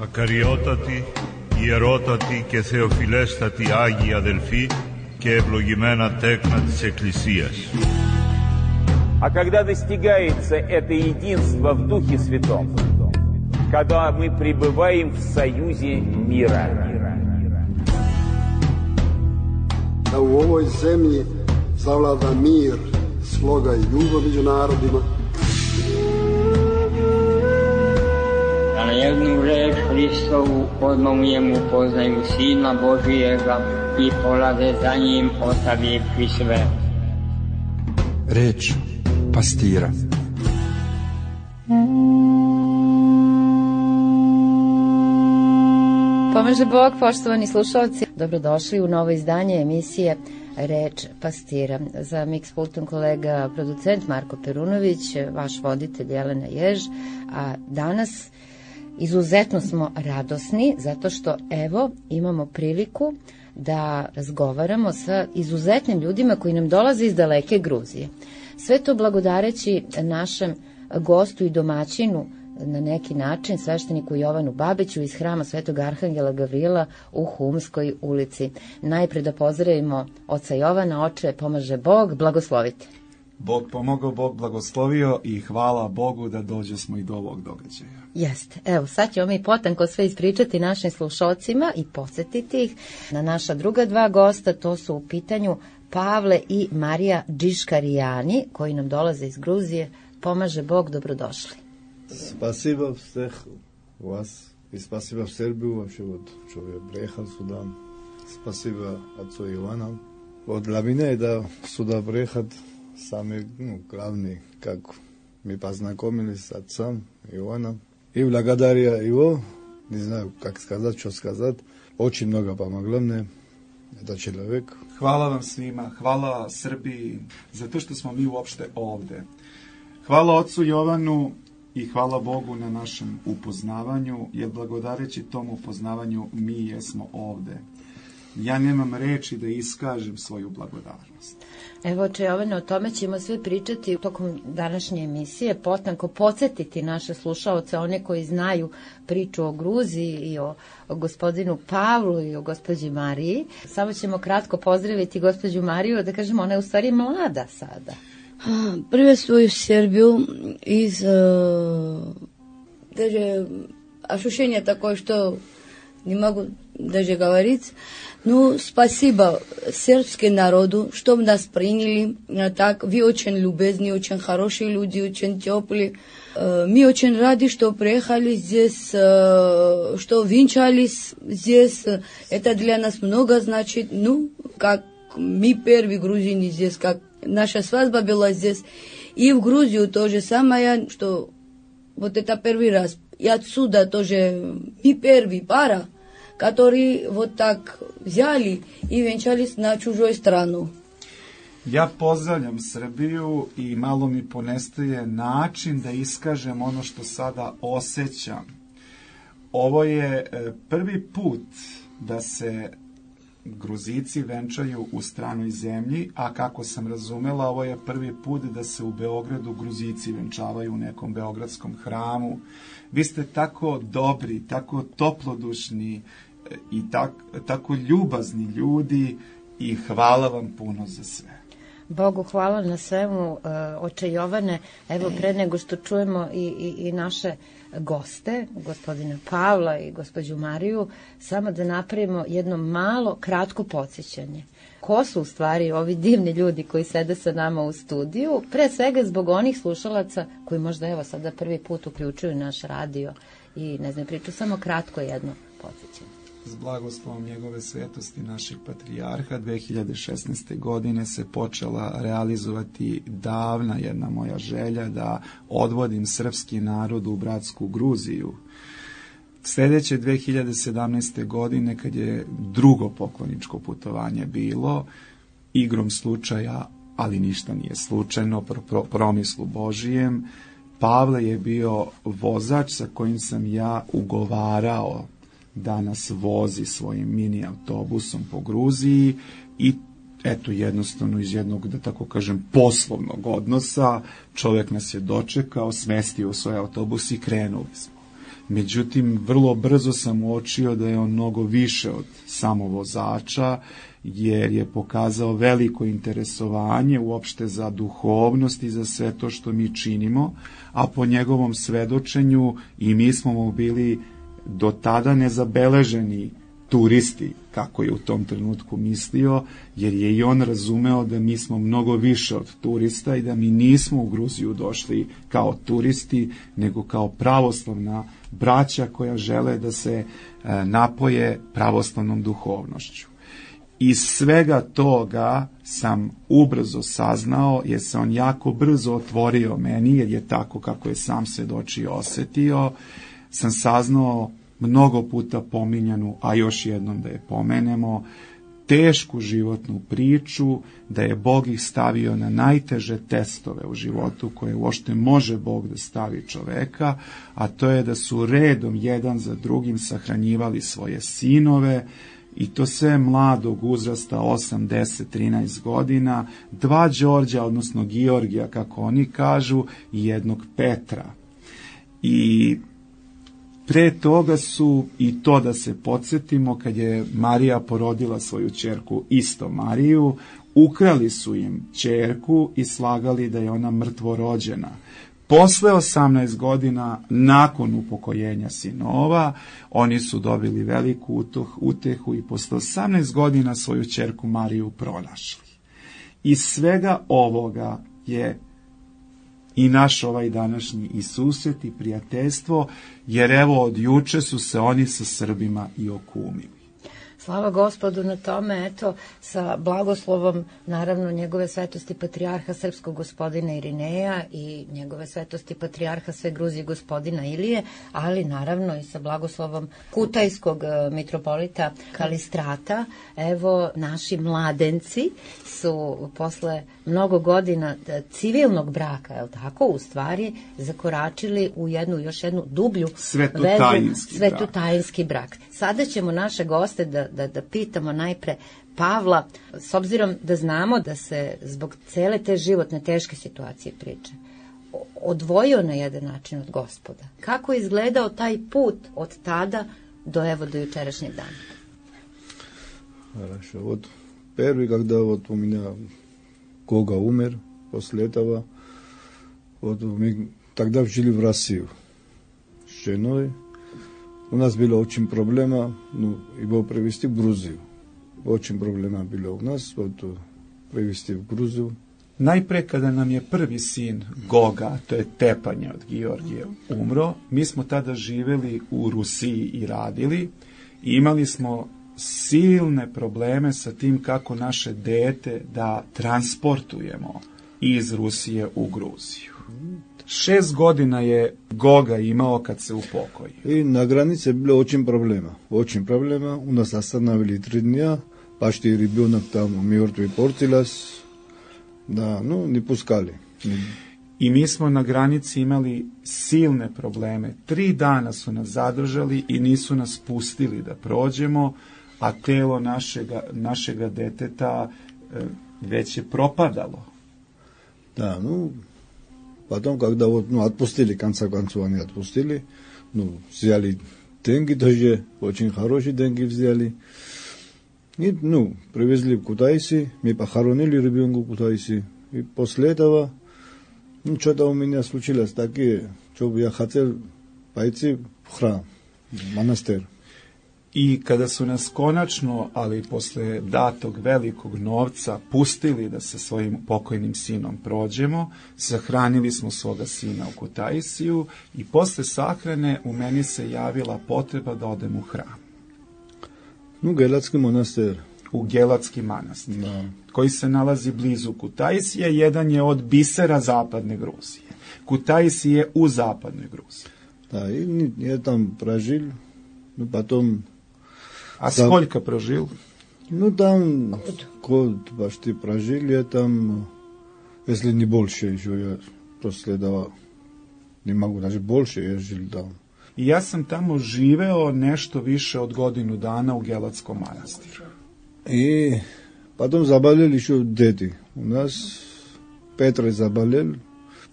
Ακαριότατοι, ιερότατοι και θεοφιλέστατοι Άγιοι αδελφοί και ευλογημένα τέκνα της Εκκλησίας. А когда достигается это единство в Духе Святом, когда мы пребываем в союзе мира. Da u ovoj zemlji zavlada mir, sloga i ljubav među narodima. Da na jednu reč Hristovu odmah mu poznaju Sina Božijega i polaze za njim ostavivši sve. Reč pastira. Pomaže Bog, poštovani slušalci, dobrodošli u novo izdanje emisije Reč pastira. Za Mix pultom kolega producent Marko Perunović, vaš voditelj Jelena Jež, a danas izuzetno smo radosni zato što evo imamo priliku da razgovaramo sa izuzetnim ljudima koji nam dolaze iz daleke Gruzije. Sve to blagodareći našem gostu i domaćinu na neki način, svešteniku Jovanu Babiću iz hrama Svetog Arhangela Gavrila u Humskoj ulici. Najpre da pozdravimo oca Jovana. Oče, pomaže Bog, blagoslovite. Bog pomogao, Bog blagoslovio i hvala Bogu da dođe smo i do ovog događaja. Jeste. Evo, sad ćemo mi potanko sve ispričati našim slušalcima i podsjetiti ih na naša druga dva gosta. To su u pitanju Pavle i Marija Džiškarijani, koji nam dolaze iz Gruzije. Pomaže Bog, dobrodošli. Спасибо всех вас и спасибо в Сербию вообще вот, что я приехал сюда. Спасибо отцу Ивану. Вот для меня да сюда приехать самый главный, как мы познакомились с отцом Иваном. И благодаря его, не знаю, как сказать, что сказать, очень много помогло мне этот человек. Hvala vam svima, hvala Srbiji, zato što smo mi uopšte ovde. Hvala ocu Jovanu i hvala Bogu na našem upoznavanju, jer blagodareći tom upoznavanju mi jesmo ovde. Ja nemam reči da iskažem svoju blagodarnost. Evo, oče Jovane, o tome ćemo sve pričati tokom današnje emisije, potanko podsjetiti naše slušaoce, one koji znaju priču o Gruziji i o gospodinu Pavlu i o gospođi Mariji. Samo ćemo kratko pozdraviti gospođu Mariju, da kažemo, ona je u stvari mlada sada. Приветствую Сербию из даже ощущение такое, что не могу даже говорить. Ну, спасибо сербскому народу, что нас приняли так. Вы очень любезны, очень хорошие люди, очень теплые. Мы очень рады, что приехали здесь, что венчались здесь. Это для нас много значит. Ну, как мы первые грузины здесь, как наша свадьба была здесь. И в Грузию то же самое, что вот это первый раз. И отсюда тоже мы первый пара, которые вот так взяли и венчались на чужой страну. Ja pozdravljam Srbiju i malo mi ponestaje način da iskažem ono što sada osjećam. Ovo je prvi put da se Gruzici venčaju u stranoj zemlji, a kako sam razumela, ovo je prvi put da se u Beogradu Gruzici venčavaju u nekom beogradskom hramu. Vi ste tako dobri, tako toplodušni i tako ljubazni ljudi i hvala vam puno za sve. Bogu hvala na svemu, oče Jovane. Evo, pre nego što čujemo i naše goste, gospodina Pavla i gospođu Mariju, samo da napravimo jedno malo, kratko podsjećanje. Ko su u stvari ovi divni ljudi koji sede sa nama u studiju? Pre svega zbog onih slušalaca koji možda evo sada prvi put uključuju naš radio i ne znam, priču samo kratko jedno podsjećanje. S blagoslovom njegove svetosti našeg patrijarha 2016. godine se počela realizovati davna jedna moja želja da odvodim srpski narod u bratsku Gruziju. Sljedeće 2017. godine, kad je drugo pokloničko putovanje bilo, igrom slučaja, ali ništa nije slučajno, promislu Božijem, Pavle je bio vozač sa kojim sam ja ugovarao da nas vozi svojim mini autobusom po Gruziji i eto jednostavno iz jednog, da tako kažem, poslovnog odnosa čovjek nas je dočekao, smestio u svoj autobus i krenuli smo. Međutim, vrlo brzo sam uočio da je on mnogo više od samo vozača, jer je pokazao veliko interesovanje uopšte za duhovnost i za sve to što mi činimo, a po njegovom svedočenju i mi smo mu bili do tada nezabeleženi turisti, kako je u tom trenutku mislio, jer je i on razumeo da mi smo mnogo više od turista i da mi nismo u Gruziju došli kao turisti, nego kao pravoslavna braća koja žele da se napoje pravoslavnom duhovnošću. Iz svega toga sam ubrzo saznao, jer se on jako brzo otvorio meni, jer je tako kako je sam svedočio osetio, sam saznao mnogo puta pominjanu, a još jednom da je pomenemo, tešku životnu priču, da je Bog ih stavio na najteže testove u životu koje uopšte može Bog da stavi čoveka, a to je da su redom jedan za drugim sahranjivali svoje sinove, i to sve mladog uzrasta, 8, 10, 13 godina, 2 Đorđa, odnosno Georgija, kako oni kažu, i jednog Petra. I pre toga su, i to da se podsjetimo, kad je Marija porodila svoju ćerku, isto Mariju, ukrali su im ćerku i slagali da je ona mrtvorođena. Posle 18 godina, nakon upokojenja sinova, oni su dobili veliku utehu i posle 18 godina svoju ćerku Mariju pronašli. Iz svega ovoga je i naš ovaj današnji i susret i prijateljstvo, jer evo od juče su se oni sa Srbima i okumili. Slava Gospodu na tome, eto, sa blagoslovom, naravno, njegove svetosti patrijarha srpskog gospodina Irineja i njegove svetosti patrijarha sve Gruzije gospodina Ilije, ali naravno i sa blagoslovom kutajskog mitropolita Kalistrata. Evo, naši mladenci su posle mnogo godina civilnog braka, je li tako, u stvari zakoračili u još jednu dublju svetotajinski brak. Sada ćemo naše goste da pitamo najpre Pavla, s obzirom da znamo da se zbog cele te životne teške situacije priče odvojio na jedan način od Gospoda. Kako je izgledao taj put od tada do jučerašnjeg dana? Хорошо. Вот первый, когда вот у меня Гога умер, после этого, вот мы тогда жили в Россию с женой. У нас была очень проблема, его привезти в Грузию. Очень проблема bila u nas, privesti u Gruziju. Najpre kada nam je prvi sin Goga, to je Tepanje od Georgije, umro, mi smo tada živeli u Rusiji i radili i imali smo silne probleme sa tim kako naše dete da transportujemo iz Rusije u Gruziju. 6 godina je Goga imao kad se upokoji. I na granici je bilo очень проблема. У нас остановили 3 дня, почти ребенок там мертвый портилась. Да, не пускали. I mi smo na granici imali silne probleme. 3 dana su nas zadržali i nisu nas pustili da prođemo, a telo našega deteta već je propadalo. Da, Потом, когда отпустили, конца концов они отпустили, взяли деньги даже, очень хорошие деньги взяли. И, привезли в Кутайси, мы похоронили ребенка в Кутайси. И после этого, что-то у меня случилось такое, что я хотел пойти в храм, в монастырь. I kada su nas konačno, ali posle datog velikog novca, pustili da se svojim pokojnim sinom prođemo, sahranili smo svoga sina u Kutaisiju i posle sahrane u meni se javila potreba da odem u hram. Gelatski monastir. U Gelatski manastir, koji se nalazi blizu Kutaisije, jedan je od bisera zapadne Gruzije. Kutaisi je u zapadnoj Gruziji. Da, i ja tam prožil, potom... А сколько прожил? Там год почти прожил, я там, если не больше еще, я после этого не могу, даже больше я жил там. I ja sam tamo živeo nešto više od godinu dana u Gelatskom manastiru. И потом заболели еще дети. У нас Петр заболел,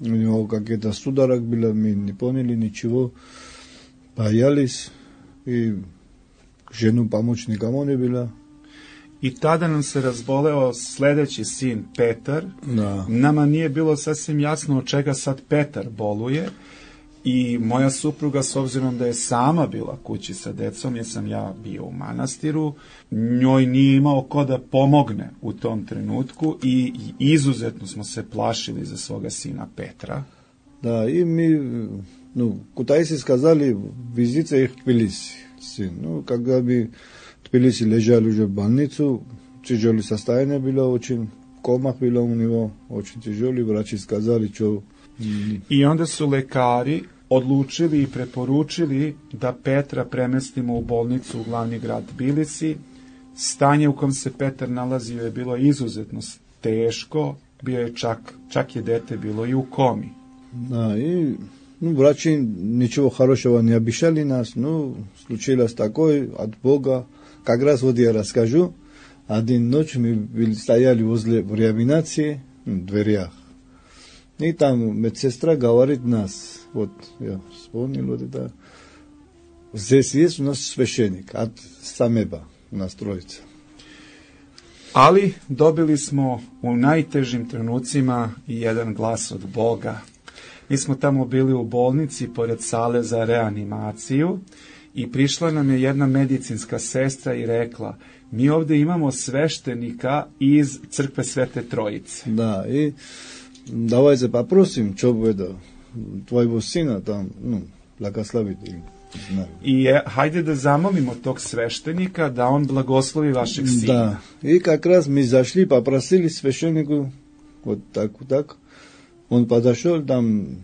у него какие-то судорог было, мы не поняли ничего. Боялись, и ženu pomoćnika ne bila. I tada nam se razboleo sledeći sin Petar. Da. Nama nije bilo sasvim jasno od čega sad Petar boluje. I moja supruga, s obzirom da je sama bila kući sa decom, jer sam ja bio u manastiru, njoj nije imao ko da pomogne u tom trenutku i izuzetno smo se plašili za svoga sina Petra. Da, i mi, Kutaici skazali, vizite ih Tbilisi. Когда bi Tbilisi ležali уже в больницу, тяжелое состояние было очень, комах было у него, очень тяжелый, врачи сказали, что... I onda su lekari odlučili i preporučili da Petra premestimo u bolnicu u glavni grad Tbilisi. Stanje u kom se Petar nalazio je bilo izuzetno teško, bio je čak je dete bilo i u komi. Da, i врачи ничего хорошего не обещали нас, случилось такое от Бога. Как раз вот я расскажу. Один ночь мы стояли возле реанимации, в дверях. И там медсестра говорит нас, вот я вспомнил вот это, здесь есть у нас священник от Самеба, у нас троица. Ali dobili smo u najtežim trenucima i jedan glas od Boga. Mi smo tamo bili u bolnici pored sale za reanimaciju i prišla nam je jedna medicinska sestra i rekla, mi ovdje imamo sveštenika iz crkve Svete Trojice. Da, i давайте попросим, что будет твоего сына там, благословить. I hajde da zamolimo tog sveštenika da on blagoslovi vašeg sina. Да, и как раз мы зашли, попросили священнику, вот так. Он подошел, там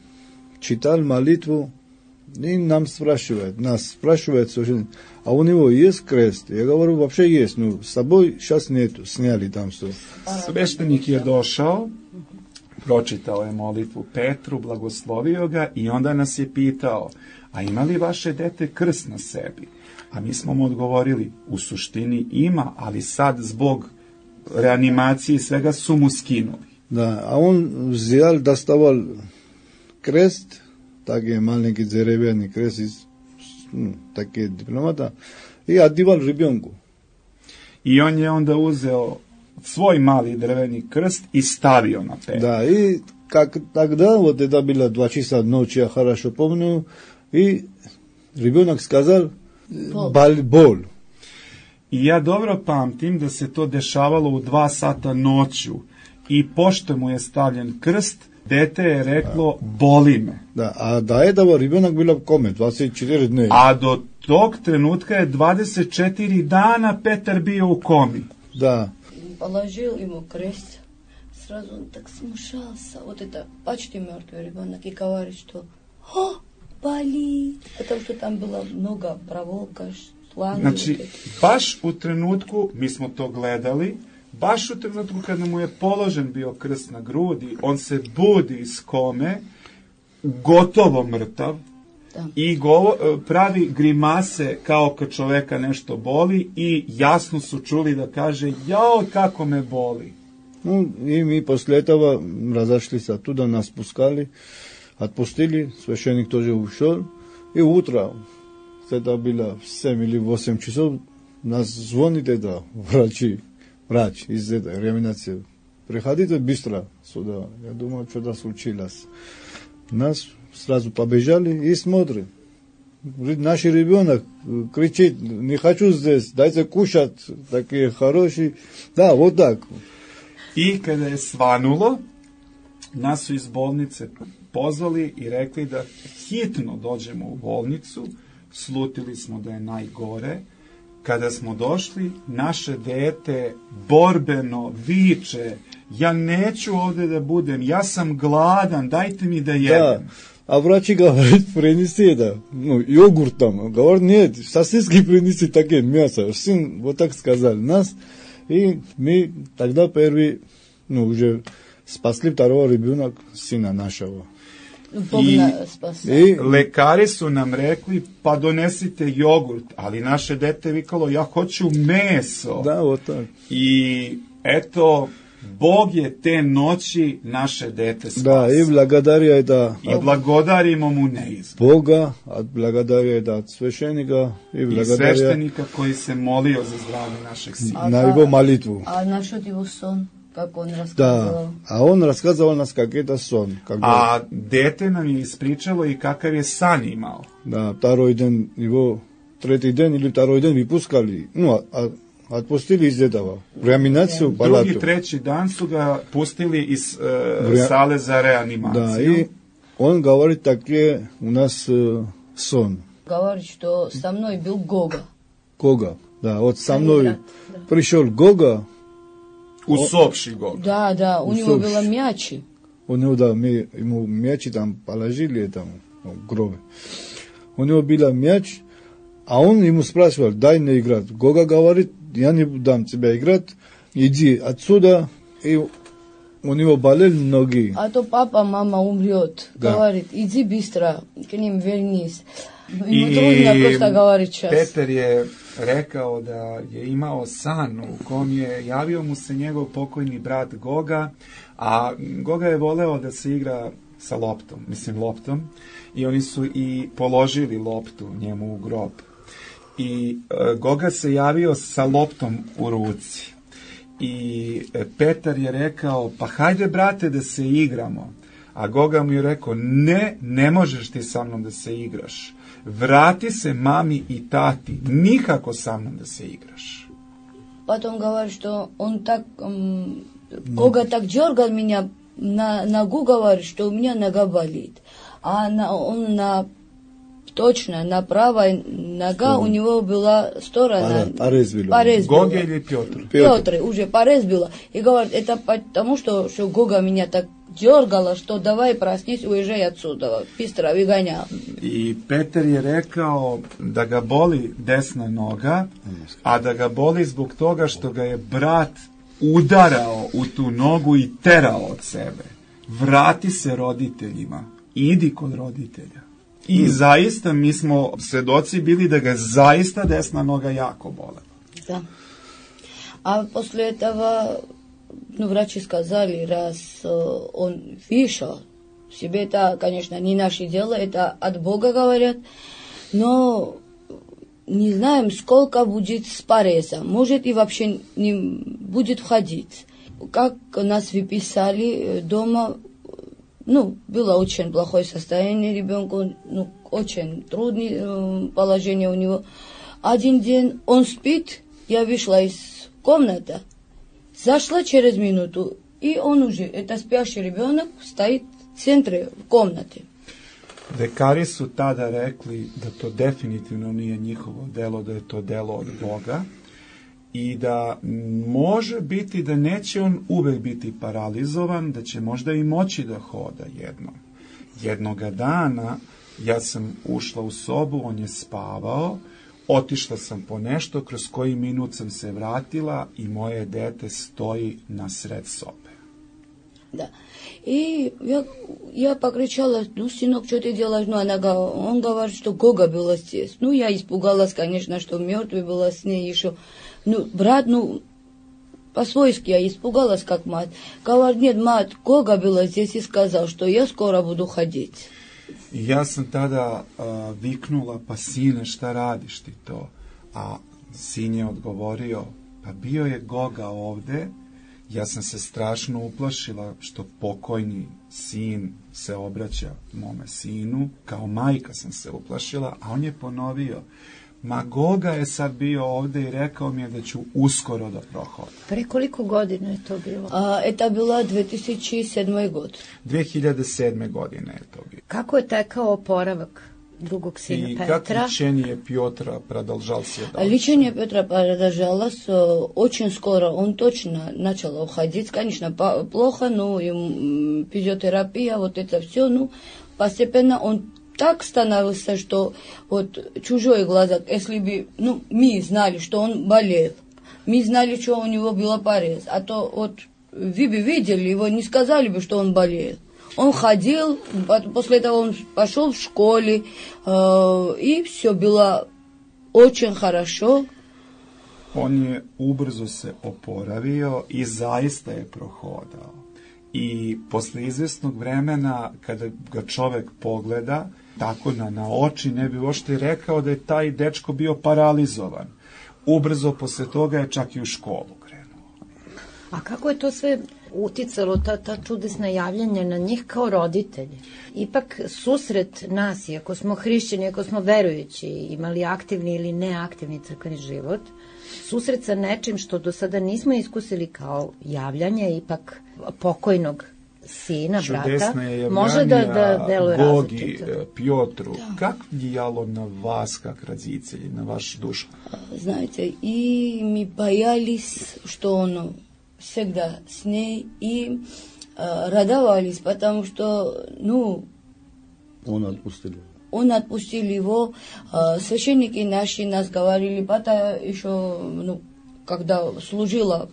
читал молитву, и нас спрашивает священник, а у него есть крест? Я говорю, вообще есть, с собой сейчас нету, сняли там все. Sveštenik je došao, pročitao je molitvu Petru, blagoslovio ga i onda nas je pitao, a ima li vaše dete krst na sebi? A mi smo mu odgovorili, u suštini ima, ali sad zbog reanimacije i svega su mu skinuli. Да, а он взял, доставал крест, такие маленькие деревянный крест, такие дипломата, и одевал ребенку. I on je onda uzeo svoj mali drveni krst и stavio на Петра. Да, и как тогда, вот это было 2 часа ночи, я хорошо помню, и ребенок сказал, боль. I ja dobro pamtim da se to dešavalo u 2 sata noću i pošto mu je stavljen krst, dete je reklo, boli me. Da, a do этого ребенок был в коме, 24 dne. A do tog trenutka je 24 dana Petar bio u komi. Da. Положил ему крест, сразу он так смущался. Вот это почти мертвый ребенок и говорит, что болит, потому что там было много проволока, шланги. Znači, baš u trenutku, mi smo to gledali, baš u trenutku kada mu je položen bio krst na grudi, on se budi iz kome, gotovo mrtav, i pravi grimase kao kad čoveka nešto boli i jasno su čuli da kaže, jao kako me boli. И мы после этого разошлись оттуда, нас пускали, отпустили, священник тоже ушел, и утро, это было в 7 или 8 часов, нас звонит это врач из этой реанимации. Приходите быстро сюда. Я думал, что-то случилось. Нас сразу побежали и смотрим. Наш ребенок кричит, не хочу здесь, дайте кушать, такие хорошие. Да, вот так. I kada je svanulo, nas su iz bolnice pozvali i rekli da hitno dođemo u bolnicu, slutili smo da je najgore. Kada smo došli, naše dete borbeno viče, ja neću ovdje da budem, ja sam gladan, dajte mi da jedem. Да. А врачи говорят, принеси это, йогурт там. Говорят, нет, сосиски принеси такие, мясо. Сын вот так сказал нас. И мы тогда первый, уже спасли второго ребенка, сына нашего. I lekari su nam rekli, pa donesite jogurt, ali naše dete vikalo, ja hoću meso. Da, вот так. I eto, Bog je te noći naše dete spasio. Да, и благодаря это I blagodarimo mu neizmjerno. Бога, благодаря это от священника и I благодаря sveštenika koji se molio za zdravlje našeg sina. на его молитву. А насчет его сон, как он рассказывал? Да, а он рассказывал нас как это сон. Когда, A dete nam je ispričalo i kakav je san imao. да, второй день его, третий день или второй день выпускали, ну, отпустили из этого, в реанимацию, в палату. Drugi, treći dan su ga pustili iz sale za reanimaciju. Да, и он говорит, такие у нас сон. Говорит, что со мной был Гога. Гога, да, вот со мной Да. пришел Гога, Усопший Гог. Да, да, у него Усопший. было мячи. у него, да, мы ему мячи там положили, там, в гробе. У него был мяч, а он ему спрашивал, дай мне играть. Гога говорит, я не дам тебе играть, иди отсюда. И у него болели ноги. А то папа, мама умрет. Да. Говорит, иди быстро, к ним вернись. Ему I трудно просто говорить сейчас. Petar je rekao da je imao san u kom je javio mu se njegov pokojni brat Goga, a Goga je voleo da se igra sa loptom, i oni su i položili loptu njemu u grob. I Goga se javio sa loptom u ruci. I Petar je rekao, pa hajde brate da se igramo. A Goga mu je rekao, ne možeš ti sa mnom da se igraš. Vrati se mami i tati, nikako sa mnom da se igraš. Потом говорит, что он так, Гога так дергал меня на ногу, говорит, что у меня нога болит. А он точно на правой нога у него была сторона. Порез был. Порез был. Goga ili Pjotr? Петр уже порез было. И говорит, это потому, что Гога меня так дергала, что давай проснись, уезжай отсюда, быстро выгонял. I Petar je rekao da ga boli desna noga, a da ga boli zbog toga što ga je brat udarao u tu nogu i terao od sebe. Vrati se roditeljima, idi kod roditelja. I zaista mi smo svedoci bili da ga zaista desna noga jako bolela. Да. А после этого, врачи сказали, раз он вышел, себе это, конечно, не наше дело, это от Бога говорят, но не знаем, сколько будет с порезом, может и вообще не будет входить. Как нас выписали дома, было очень плохое состояние ребенка, очень трудное положение у него. Один день он спит, я вышла из комнаты, зашла через минуту, и он уже, это спящий ребенок, стоит в центре комнаты. Lekari su tada rekli da to definitivno nije njihovo delo, da je to delo od Boga i da može biti da neće on uvek biti paralizovan, da će možda i moći da hoda jednom. Jednoga dana ja sam ušla u sobu, on je spavao, otišla sam po nešto, kroz koji minut sam se vratila i moje dete stoji na sred sobe. Да. И я покричала, сынок, что ты делаешь? Он говорит, что Гога была здесь. Я испугалась, конечно, что мертвый была с ней еще. Брат, по-свойски я испугалась, как мать. Говорит, нет, мать, Гога была здесь и сказал, что я скоро буду ходить. I ja sam tada viknula, pa sine, šta radiš ti to? A sin je odgovorio, pa bio je Goga ovde. Ja sam se strašno uplašila što pokojni sin se obraća mome sinu, kao majka sam se uplašila, a on je ponovio, ma Goga je sad bio ovde i rekao mi je da ću uskoro da prohodam. Pre koliko godina je to bilo? Это было 2007 год. 2007. godine je to bilo. Kako je tekao oporavak drugog sina I Petra? как лечение Петра продолжался дальше? Лечение Петра продолжалось очень скоро. Он точно начал уходить. Конечно, плохо, но физиотерапия, вот это все. Постепенно он так становился, что чужой глаза, если бы, мы знали, что он болел, мы знали, что у него был порез, а то вы бы видели его, не сказали бы, что он болел. Он ходил, после этого он пошел в школе, и все было очень хорошо. On je ubrzo se oporavio i zaista je prohodao. I posle izvesnog vremena, kada ga čovek pogleda, tako na oči, ne bi uopšte rekao da je taj dečko bio paralizovan. Ubrzo posle toga je čak i u školu krenuo. A kako je to sve uticalo, ta čudesna javljanja na njih kao roditelji? Ipak susret nas, iako smo hrišćani, iako smo verujući, imali aktivni ili neaktivni crkveni život, susret sa nečim što do sada nismo iskusili kao javljanje ipak pokojnog sina, brata, može da deluje Gogi, različito. Pjotru, как влияло на вас, как родителей, на вашу душу? Знаете, и мы боялись, что он всегда с ней, и радовались, потому что, Он отпустил. он отпустил его. Священники наши нас говорили, бата еще, когда служила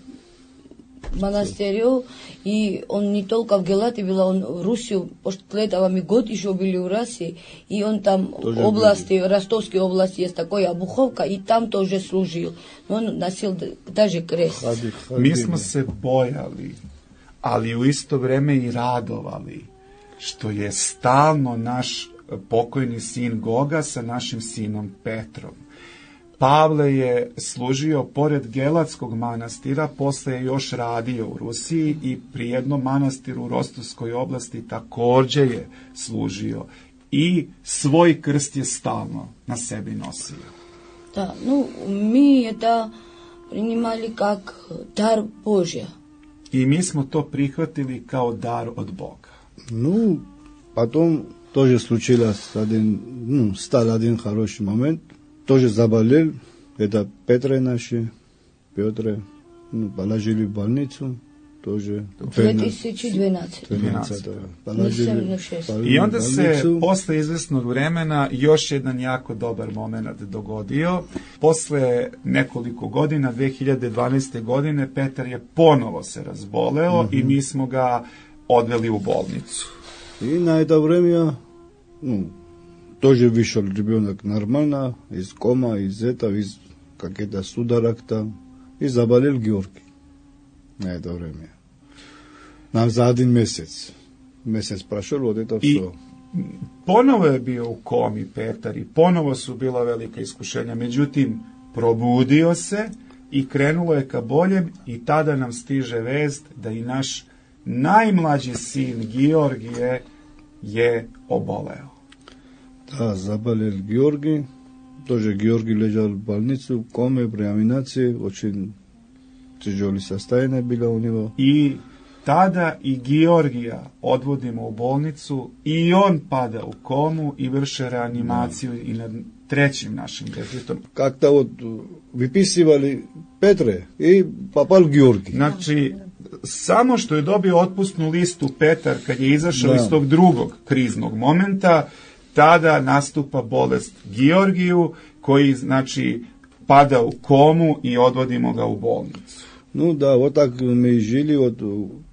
в монастырю, и он не только в Гелате был, он в Руссию, после этого мы год еще были в России, и он там в области, в Ростовской области есть такая Обуховка, и там тоже служил. Но он носил даже крест. Mi smo se bojali, ali u isto vreme i radovali, što je stalno naš pokojni sin Goga sa našim sinom Petrom. Pavle je služio pored Gelatskog manastira, posle je još radio u Rusiji i pri jednom manastiru u Rostovskoj oblasti takođe je služio. I svoj krst je stalno na sebi nosio. Да, мы это принимали как дар Божий. I mi smo to prihvatili kao dar od Boga. Потом тоже случилось стал один хороший момент. Тоже заболел. Это Петра наши. Петра, положили в больницу. Тоже. 2012. I onda se posle izvesnog vremena još jedan jako dobar moment dogodio. Posle nekoliko godina, 2012. godine, Petar je ponovo se razboleo i mi smo ga odveli u bolnicu. И на это время, тоже вышел ребенок нормально, из кома, из этого, из каких-то судорог там, и заболел Георгий на это время. Нам за один месяц. Месяц прошел, вот это все. Ponovo je bio u komi Petar i ponovo su bila velika iskušenja. Međutim, probudio se i krenulo je ka boljem i tada nam stiže vest da i naš najmlađi sin Georgije je oboleo. Да, заболел Георгий. Тоже Георгий лежал в больнице, в коме, при реанимации. Очень тяжелое состояние было у него. I tada i Georgija odvodimo u bolnicu i on pada u komu i vrše reanimaciju i nad trećim našim detetom. Как-то вот выписывали Петре и попал Георгий. Znači, samo što je dobio otpusnu listu Petar kad je izašao iz tog drugog kriznog momenta, tada nastupa bolest Georgiju koji, znači, pada u komu i odvodimo ga u bolnicu. Да, вот так мы жили. Вот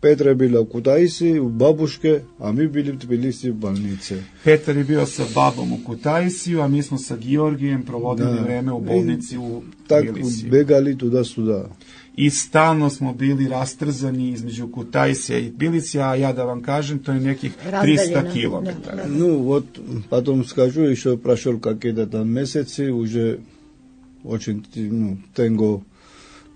Петра была в Кутаиси, у бабушки, а мы были в Тбилиси в больнице. Petar je bio sa babom u Kutaisiju, a mi smo sa Georgijem provodili vreme u bolnici u Tbilisiju. Так бегали туда-сюда. I stalno smo bili rastrzani između Kutaisija i Tbilisija, a ja da vam kažem, to je nekih 300 kilometara. Вот потом скажу, еще прошел какие-то там месяцы, уже очень тяжело.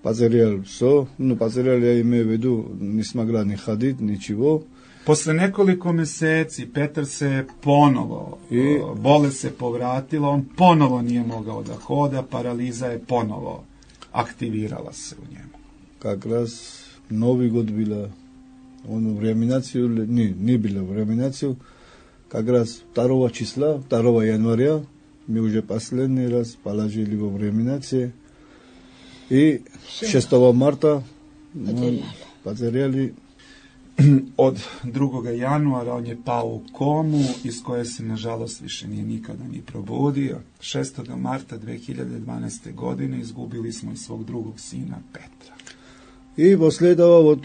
Потерял все, потерял, я имею в виду, не смогла ни ходить, ничего. Posle nekoliko meseci Petar se ponovo, bolest se povratila, on ponovo nije mogao da hoda, paraliza je ponovo aktivirala se u njemu. Как раз Новый год было, он в реанимацию, не было в реанимацию, как раз 2 числа, 2 января, мы уже последний раз положили его в реанимацию. I 6. marta poterjali. Od 2. januara on je pao u komu iz koje se nažalost više nije nikada ni probudio. 6. marta 2012. godine izgubili smo i svog drugog sina Petra. И после этого, вот,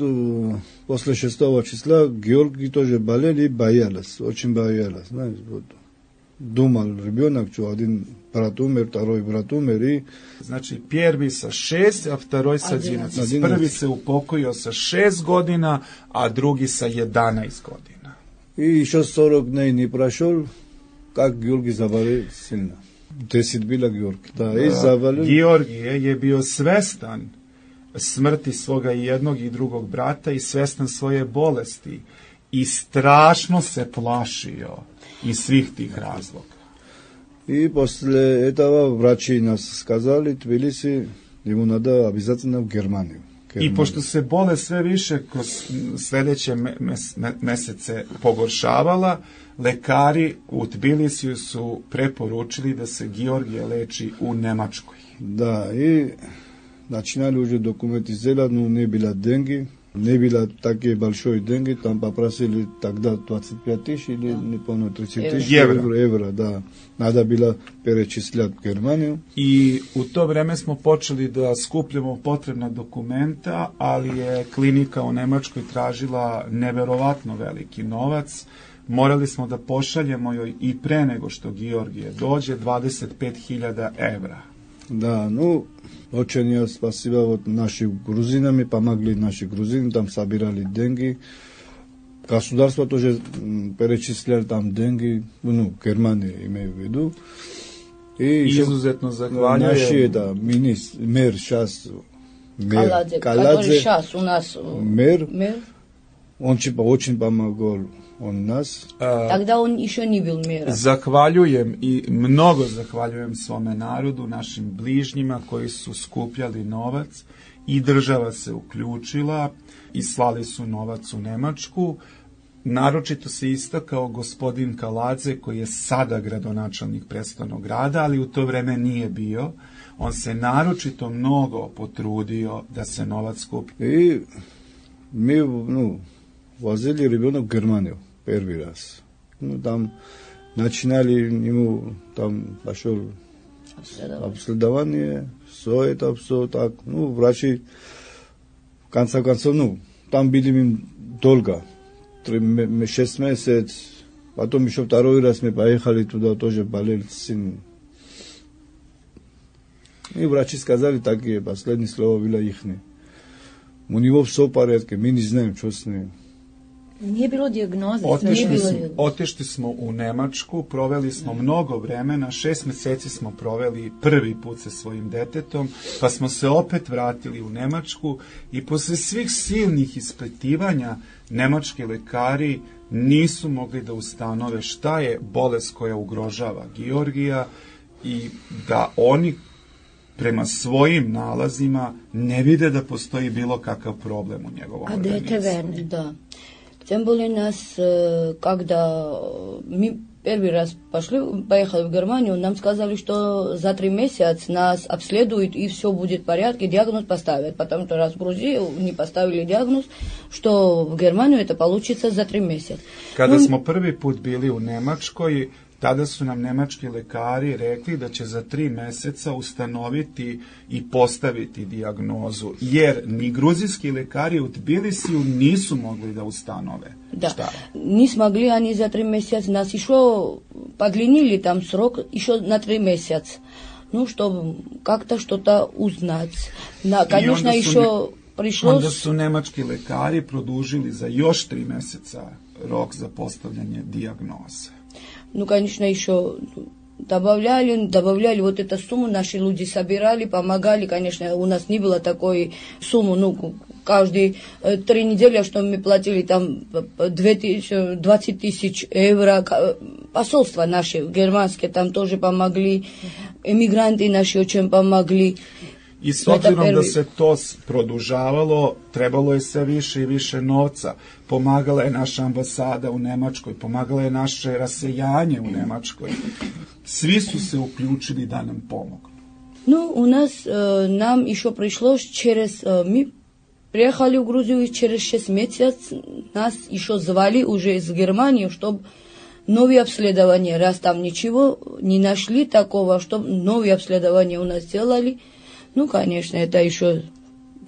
после 6 числа, Георгий тоже болел и боялась, очень боялась. Знаешь, вот, думал ребенок, что один брат умер, второй брат умер и... Znači, prvi sa 6, a второй sa 11. Prvi se upokojio sa 6 godina, a drugi sa 11 godina. И еще 40 дней не прошел, как Георгий заболел сильно. 10 bila Georgi. Da, i zavalio. Georgije je bio svestan smrti svoga jednog i drugog brata i svestan svoje bolesti i strašno se plašio iz svih tih razloga. И после этого врачи нас сказали, Тбилиси, ему надо обязательно в Германию. I pošto se bolest sve više kroz sljedeće mesece pogoršavala, lekari u Tbilisiju su preporučili da se Georgije leči u Nemačkoj. Да, и начинали уже документы сделать, но не было деньги, не было такие большие деньги, там попросили тогда 25 тысяч или, не помню, 30 тысяч евро, да. Надо было перечислять в Германiju. I u to vreme smo počeli da skupljamo potrebna dokumenta, ali je klinika u Nemačkoj tražila neverovatno veliki novac. Morali smo da pošaljemo joj i pre nego što Georgije dođe 25.000 evra. Да, ну, очень я спасибо вот нашим грузинам, помогли наши грузины, там собирали деньги. Государство тоже перечисляли там деньги, ну, Германия имею в виду. И izuzetno zahvaljujem. Наши, да, мэр сейчас, Каладзе, который сейчас у нас мэр, он очень помогал. On nas. Тогда он еще не был мэром. Zahvaljujem i mnogo zahvaljujem svome narodu, našim bližnjima koji su skupljali novac i država se uključila i slali su novac u Nemačku. Naročito se istakao gospodin Kaladze koji je sada gradonačelnik prestolnog grada, ali u to vreme nije bio. On se naročito mnogo potrudio da se novac skupi. I mi, возили ребенок в Германию первый раз. Ну, там начинали ему, там пошел обследование, все так. Ну, врачи, в конце концов, там были мы долго, 6 месяцев. Потом еще второй раз мы поехали туда, тоже болел сын. И врачи сказали такие, последние слова было ихние. У него все в порядке, мы не знаем, что с ним. Nije bilo dijagnoze. Otišli smo u Nemačku, proveli smo mnogo vremena, 6 meseci smo proveli prvi put sa svojim detetom, pa smo se opet vratili u Nemačku i posle svih silnih ispitivanja nemački lekari nisu mogli da ustanove šta je bolest koja ugrožava Georgija i da oni prema svojim nalazima ne vide da postoji bilo kakav problem u njegovom organizmu. Да. Тем более нас, когда мы первый раз поехали в Германию, нам сказали, что за 3 месяца нас обследуют и все будет в порядке, диагноз поставят. Потому что раз в Грузии не поставили диагноз, что в Германию это получится за 3 месяца. Kada smo prvi put bili u Nemačkoj, tada su nam nemački lekari rekli da će za 3 meseca ustanoviti i postaviti dijagnozu, jer ni gruzijski lekari u Tbilisiju nisu mogli da ustanove. Да, не смогли они за 3 месяца, нас еще подлинили там срок еще на 3 месяца, чтобы как-то что-то узнать. Конечно, еще пришлось... Onda su nemački lekari produžili za još 3 meseca rok za postavljanje dijagnoze. Конечно, еще добавляли вот эту сумму, наши люди собирали, помогали, конечно, у нас не было такой суммы, каждые 3 недели, что мы платили там 20 тысяч евро, посольства наши германские там тоже помогли, эмигранты наши очень помогли. I s obzirom da se to produžavalo, trebalo je sve više i više novca. Pomagala je naša ambasada u Nemačkoj, pomagala je naše rasejanje u Nemačkoj. Svi su se uključili da nam pomognu. У нас, нам еще пришлось мы приехали в Грузию, и через 6 месяцев нас еще звали уже из Германии, чтобы новые обследования, раз там ничего не нашли такого, чтобы новые обследования у нас сделали. Конечно, это еще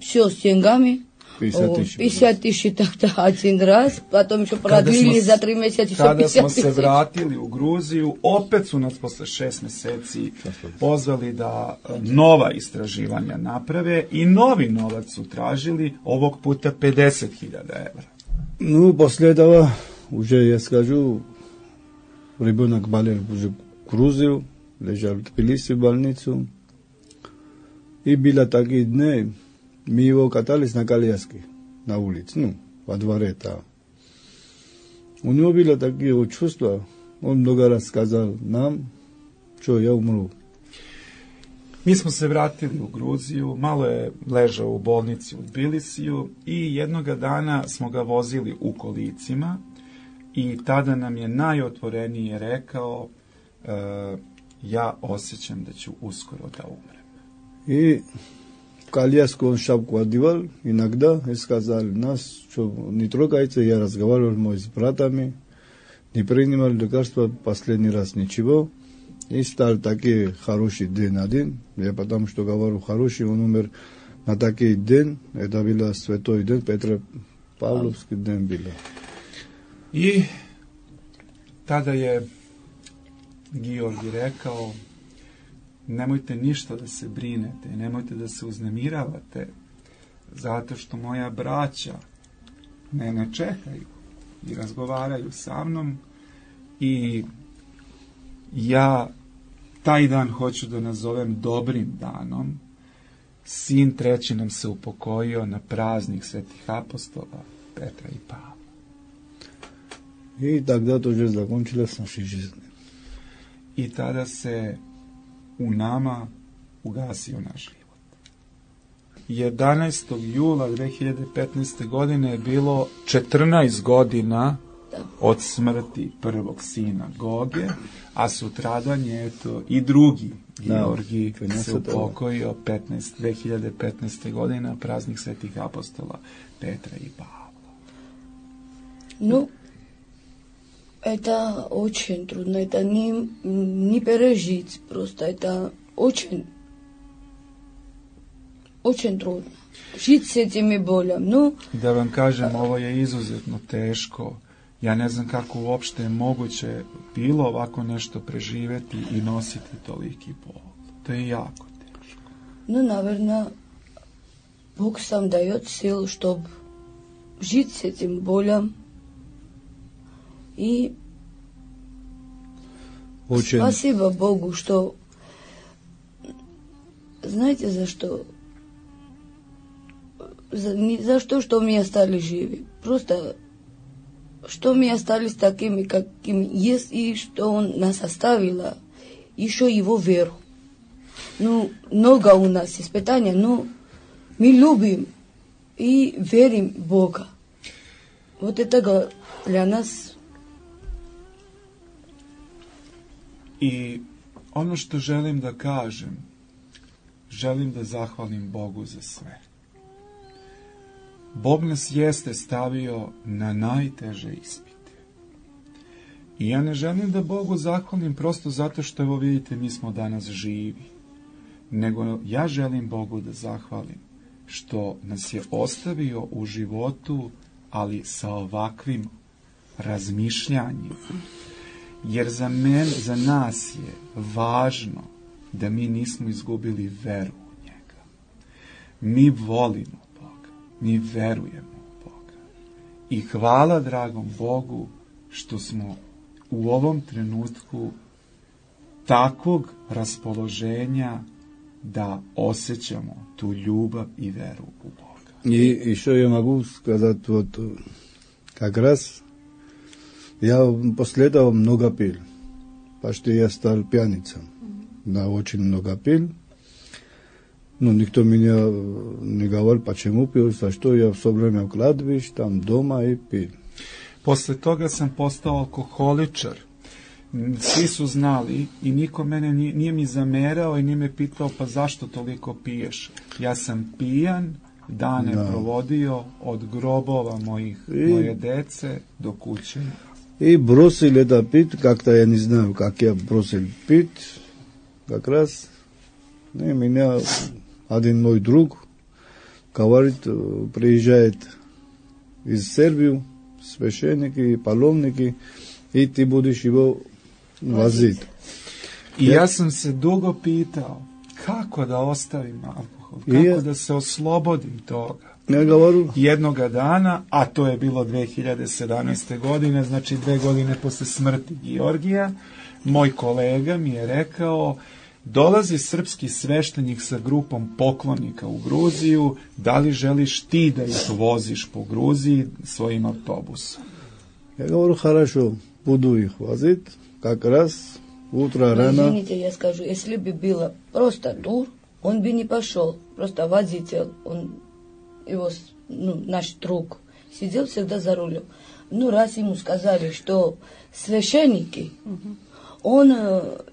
все с деньгами. 50 тысяч тогда один раз, потом еще продлили за 3 месяца еще 50 Kada smo тысяч. se vratili u Gruziju, opet su nas posle 6 meseci pozvali da nova istraživanja naprave i novi novac su tražili, ovog puta 50.000 evra. Ну, после этого уже, я скажу, ребенок болел уже в Грузию, лежал в Тбилиси в больницу. И было такие дни, мы его катались на коляске на улице, ну, во дворе там. У него было такие чувства, он много раз сказал нам, что я умру. Mi smo se vratili u Gruziju, malo je ležao u bolnici u Tbilisiju i jednoga dana smo ga vozili u kolicima i tada nam je najotvorenije rekao ja osjećam da ću uskoro da umrem. И в коляску он шапку одевал иногда и сказал нас, что не трогайте, я разговаривал с братами, не принимал лекарства последний раз ничего. И стал такой хороший день один. Я потому что говорю хороший, он умер на такой день. Это был святой день, Петропавловский день был. I tada je Georgi rekao nemojte ništa da se brinete, nemojte da se uznemiravate, zato što moja braća mene čekaju i razgovaraju sa mnom i ja taj dan hoću da nazovem dobrim danom. Sin treći nam se upokojio na praznik svetih apostola Petra i Pavla. И тогда тоже закончилась наша жизнь. I tada se u nama ugasio naš život. 11. jula 2015. godine je bilo 14 godina od smrti prvog sina Goge, a sutradan je eto i drugi Georgi se upokojio 2015. godina, praznik svetih apostola Petra i Pavla. Ну, это очень трудно, это не пережить просто, это очень трудно. Жить с этими болями. Ну, da vam kažem, ovo je izuzetno teško. Ja ne znam kako uopšte je moguće bilo ovako nešto preživeti i nositi toliki bol. To je jako teško. Ну, наверное, Бог сам дает силу, чтобы жить с этим болем. И очень... спасибо Богу, что... Знаете, за что? Не за то, что мы остались живы. Просто, что мы остались такими, какими есть, и что Он нас оставил, еще Его веру. Ну, много у нас испытаний, но мы любим и верим в Бога. Вот это для нас... I ono što želim da kažem, želim da zahvalim Bogu za sve. Bog nas jeste stavio na najteže ispite. I ja ne želim da Bogu zahvalim prosto zato što, evo vidite, mi smo danas živi. Nego ja želim Bogu da zahvalim što nas je ostavio u životu, ali sa ovakvim razmišljanjima. Jer za nas je važno da mi nismo izgubili veru u njega. Mi volimo Boga, mi verujemo u Boga. I hvala dragom Bogu što smo u ovom trenutku takvog raspoloženja da osjećamo tu ljubav i veru u Boga. И еще я могу сказать, вот как раз я после этого много пил. Почти я стал пьяницей. Да, очень много пил. Ну, никто меня не говорил, почему пил, за что я все время в кладбище, там дома и пил. Posle toga sam postao alkoholičar. Svi su znali i niko mene nije mi zamerao i nije me pitao pa zašto toliko piješ. Ja sam pijan, dane provodio od grobova moje dece do kuće. И бросил это пить, как-то я не знаю, как я бросил пить, как раз меня один мой друг говорит, приезжает из Сербии священники и паломники, и ты будешь его возить. I ja sam se dugo pitao kako da ostavim alkohol, kako da se oslobodim toga. Ja govoru, Jednoga dana, a to je bilo 2017. godine, znači 2 godine posle smrti Georgija, moj kolega mi je rekao, dolazi srpski sveštenik sa grupom poklonika u Gruziju, da li želiš ti da ih voziš po Gruziji svojim autobusom? ja govoru, хорошо, буду их возить, как раз утро рано. Извините, я скажу, если бы было просто тур, он бы не пошел. Просто водитель, он, его, наш друг, сидел всегда за рулем. Ну, раз ему сказали, что священники, он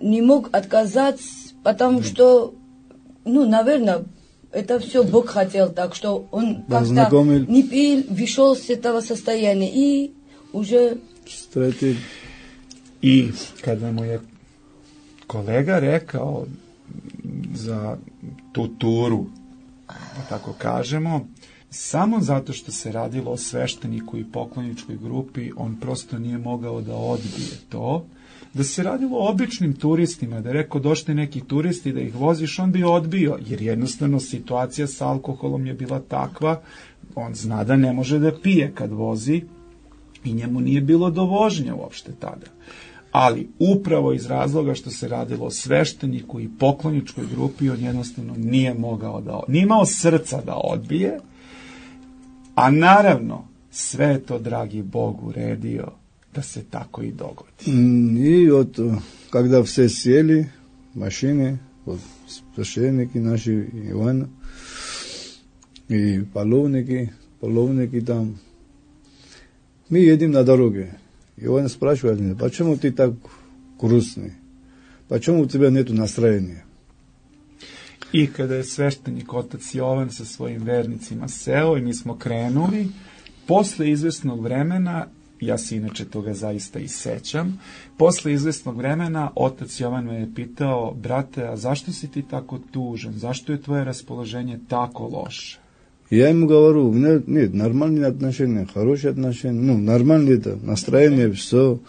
не мог отказаться, потому что, наверное, это все Бог хотел, так что он как-то не пил, вышел с этого состояния и уже... Встретил. I kada mu je kolega rekao za tu turu, da tako kažemo, samo zato što se radilo o svešteniku i pokloničkoj grupi, on prosto nije mogao da odbije to. Da se radilo o običnim turistima, da je rekao došli neki turisti da ih voziš, on bi odbio, jer jednostavno situacija sa alkoholom je bila takva, on zna da ne može da pije kad vozi i njemu nije bilo do vožnje uopšte tada. Ali upravo iz razloga što se radilo o svešteniku i pokloničkoj grupi, on jednostavno nije imao srca da odbije, a naravno sve je to, dragi Bog, uredio da se tako i dogodi. I kada все sjeli mašine, svešteniki naši Ivana i palovniki tam, mi jedim na doroge. И он спрашивает меня, почему ты так грустный? Почему у тебя нету настроения? I kada je sveštenik otac Jovan sa svojim vernicima seo i mi smo krenuli, posle izvesnog vremena, ja se inače toga zaista i sećam, posle izvesnog vremena otac Jovan me je pitao, brate, a zašto si ti tako tužan? Zašto je tvoje raspoloženje tako loše? Я ему говорю, нет, нормальные отношения, хорошие отношения, нормально это, настроение, все.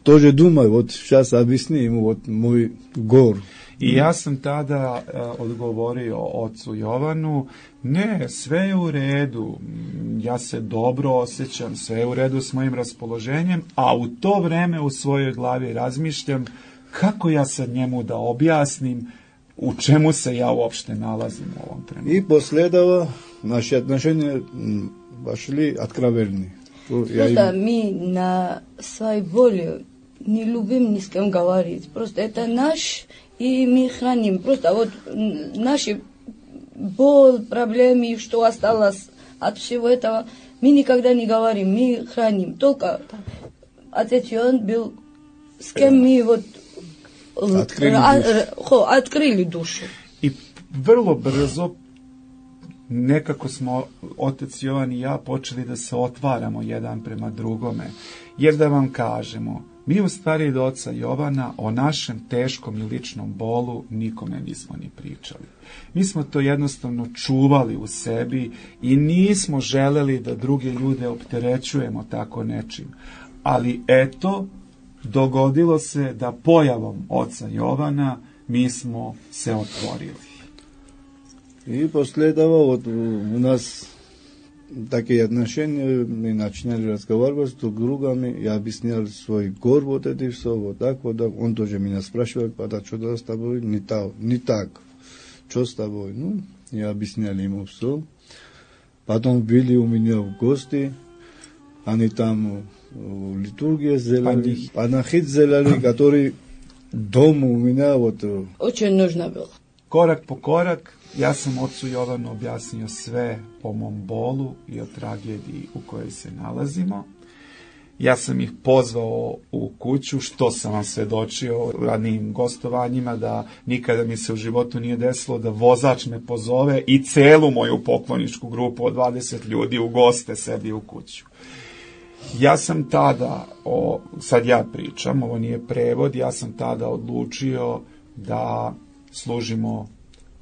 Тоже думаю, вот сейчас объясни ему вот мой гор. I ja sam tada odgovorio ocu Jovanu, ne, sve je u redu, ja se dobro osjećam, sve je u redu s mojim raspoloženjem, a u to vreme u svojoj glavi razmišljam kako ja sad njemu da objasnim u čemu se ja uopšte nalazim u ovom trenutku. И после этого наши отношения пошли откровенные. Просто мы на своей воле не любим ни с кем говорить. Просто это наш, и мы храним. Просто вот наши боль, проблемы, что осталось от всего этого, мы никогда не говорим, мы храним. Только отец Иоанн был, с кем мы вот otkrili dušu. I vrlo brzo nekako smo otac Jovan i ja počeli da se otvaramo jedan prema drugome. Jer da vam kažemo, mi u stvari do oca Jovana o našem teškom i ličnom bolu nikome nismo ni pričali. Mi smo to jednostavno čuvali u sebi i nismo želeli da druge ljude opterećujemo tako nečim. Ali eto, dogodilo se da pojavom oca Jovana mi smo se otvorili. И после этого вот у нас такие отношения, мы начинали разговаривать с друг другом, я объяснял свой гор, вот это все, вот так, он тоже меня спрашивал, что с тобой не так, что с тобой, я объяснял ему все. Потом были у меня в гости, они там литургия сделали, панахид сделали, который дома у меня вот... Очень нужно было. Korak po korak, ja sam ocu Jovanu objasnio sve o mom bolu i o tragediji u kojoj se nalazimo. Ja sam ih pozvao u kuću, što sam vam svedočio u ranijim gostovanjima, da nikada mi se u životu nije desilo da vozač me pozove i celu moju pokloničku grupu od 20 ljudi u goste sebi u kuću. Ja sam tada, sad ja pričam, ovo nije prevod, ja sam tada odlučio da služimo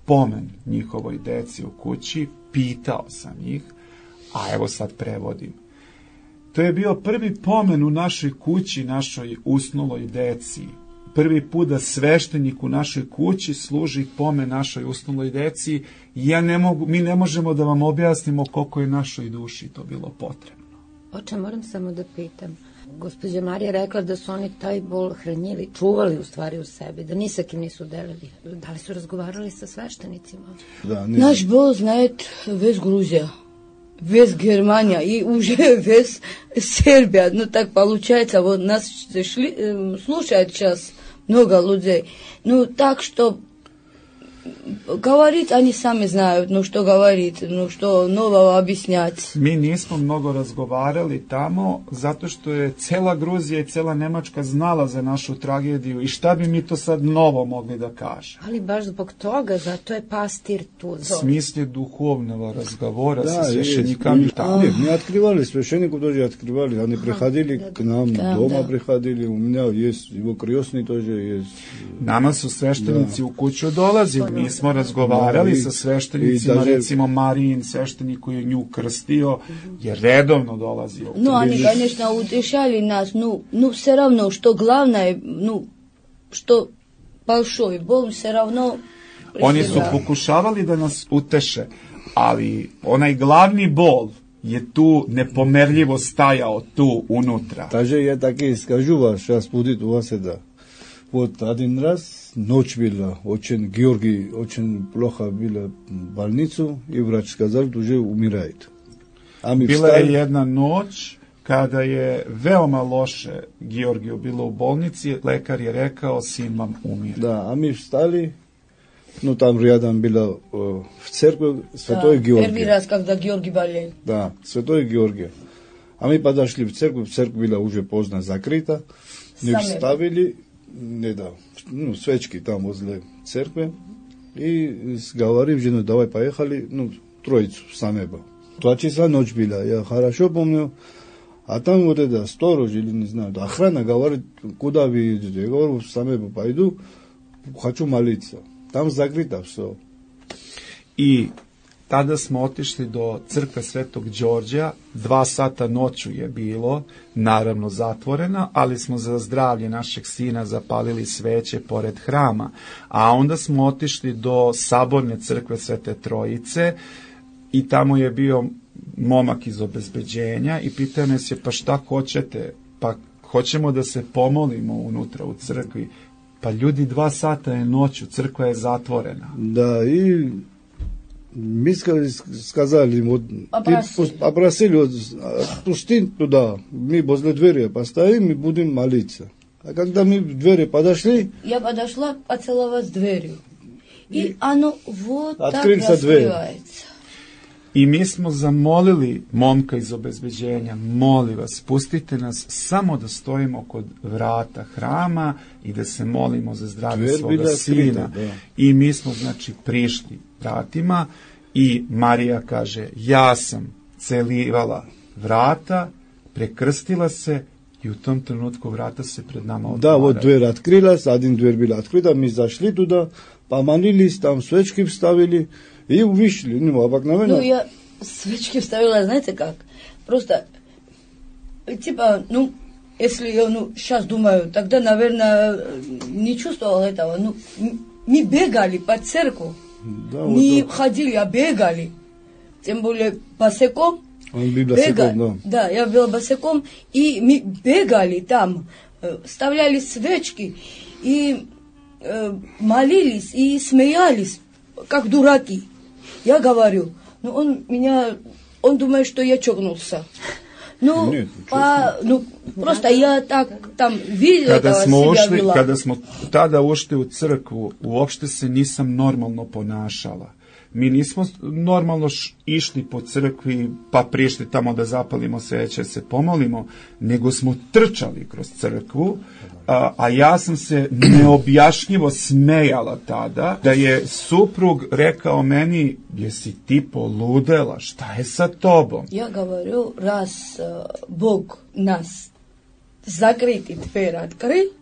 pomen njihovoj deci u kući, pitao sam ih, a evo sad prevodim. To je bio prvi pomen u našoj kući, našoj usnuloj deci. Prvi put da sveštenik u našoj kući služi pomen našoj usnuloj deci. Mi ne možemo da vam objasnimo koliko je našoj duši to bilo potrebno. Oče, moram samo da pitam. Gospođa Marija rekla da su oni taj bol hranjili, čuvali u stvari u sebi, da ni sa kim nisu delili. Da li su razgovarali sa sveštenicima? Da, Наш бол знает весь Грузия, весь Германия и уже весь Сербия. Ну так получается, вот нас слушает сейчас много людей. Ну так что говорить они сами знают, ну что говорить, ну что нового объяснять. Mi nismo mnogo razgovarali tamo zato što je cela Gruzija i cela Nemačka znala za našu tragediju i šta bi mi to sad novo mogli da kažemo. Ali baš zbog toga, zato je pastir tu. В смысле духовного разговора Да, со священниками. Мы открывали, священнику тоже открывали. Они приходили к нам, дома приходили. У меня есть его крестный тоже есть. Nama su sveštenici u kuću dolazili, mi smo razgovarali sa sveštenicima, recimo Marijin sveštenik koji je nju krstio, je redovno dolazio. Ну, они, конечно, утешали нас, ну, все равно, что главное, ну, что большой бол, все равно... Oni su pokušavali da nas uteše, ali onaj glavni bol je tu nepomerljivo stajao tu unutra. Даже я так и скажу вас, сейчас будет у вас это. Вот один раз ночь была, очень Георгий очень плохо было в больницу, и врач сказал, что уже умирает. Bila je jedna noć kada je veoma loše Georgiju bilo u bolnici, lekar je rekao, sin vam umire. Да, а мы встали, ну там рядом было в церкви Святой Георгий. Первый раз, когда Георгий болел. Да, Святой Георгий. А мы подошли в церковь была уже поздно закрыта, мы вставили, свечки там возле церкви, и говорим жену, давай поехали, троицу в Самебо. 2 часа ночь была, я хорошо помню. А там вот это сторож или не знаю, охрана говорит, куда вы едете? Я говорю, в Самебо пойду, хочу молиться. Там закрыто все. I tada smo otišli do crkve Svetog Đorđa, 2 sata noću je bilo, naravno zatvorena, ali smo za zdravlje našeg sina zapalili sveće pored hrama. A onda smo otišli do saborne crkve Svete Trojice i tamo je bio momak iz obezbeđenja i pitao nas je, pa šta hoćete? Pa hoćemo da se pomolimo unutra u crkvi. Pa ljudi, 2 sata je noću, crkva je zatvorena. Da, i mi сказали, вот, попросили, вот, пусти туда, мы возле двери постоим и будем молиться. А когда мы в двери подошли... Я подошла поцеловать дверью. И оно вот так раскрывается. I mi smo zamolili momka iz obezbeđenja, molim vas, pustite nas samo da stojimo kod vrata hrama i da se molimo za zdravlje svoga sina. I mi smo, znači, prišli vratima i Marija kaže, ja sam celivala vrata, prekrstila se i u tom trenutku vrata se pred nama otvaraju. Da, вот дверь открылась, один дверь была открыта, мы зашли туда, помолились, там свечки вставили, и вышли, обыкновенно. Ну, я свечки вставила, знаете как? Просто, типа, если я, сейчас думаю, тогда, наверное, не чувствовал этого. Мы бегали по церкви, да, не ходили, а бегали. Тем более босиком. Он был босиком, да. Да, я была босиком, и мы бегали там, вставляли свечки, и молились, и смеялись, как дураки. Я говорю, он думает, что я чокнулся. Нет, просто я так там видела себя вела. Kada smo tada ušli u crkvu, uopšte se nisam normalno ponašala. Mi nismo normalno išli po crkvi pa prišli tamo da zapalimo sveće, se pomolimo, nego smo trčali kroz crkvu, a ja sam se neobjašnjivo smejala tada, da je suprug rekao meni, jesi ti poludela, šta je sa tobom? Ja govoru, раз Бог нас закрыть и дверь открыть,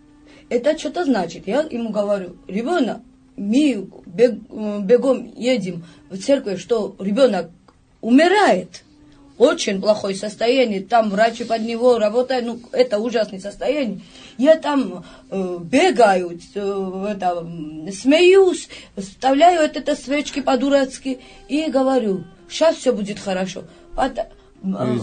это что-то значит. Я ему говорю, ребенок, мы бегом едем в церковь, что ребенок умирает. Очень плохое состояние, там врачи под него работают, ну, это ужасное состояние. Я там бегаю, смеюсь, вставляю это свечки по-дурацки и говорю, сейчас все будет хорошо.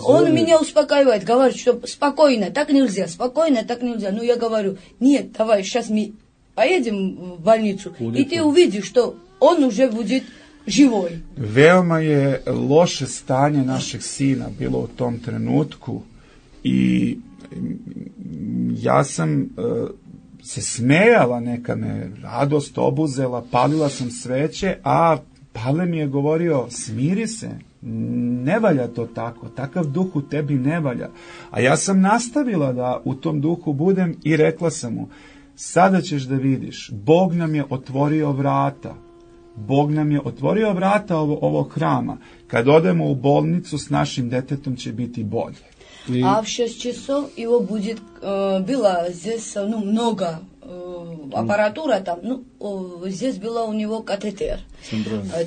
Он меня успокаивает, говорит, что спокойно, так нельзя, спокойно, так нельзя. Ну, я говорю, нет, давай, сейчас мы поедем в больницу, и ты увидишь, что он уже будет živoj. Veoma je loše stanje našeg sina bilo u tom trenutku i ja sam se smejala, neka me radost obuzela, palila sam sveće, a Pavle mi je govorio, smiri se, ne valja to tako, takav duh u tebi ne valja. A ja sam nastavila da u tom duhu budem i rekla sam mu, sada ćeš da vidiš, Bog nam je otvorio vrata. Bog nam je otvorio vrata ovog hrama. Kad odemo u bolnicu s našim detetom će biti bolje. А в 6 часов его будет, было здесь, ну, много аппаратура там, ну, здесь было у него катетер.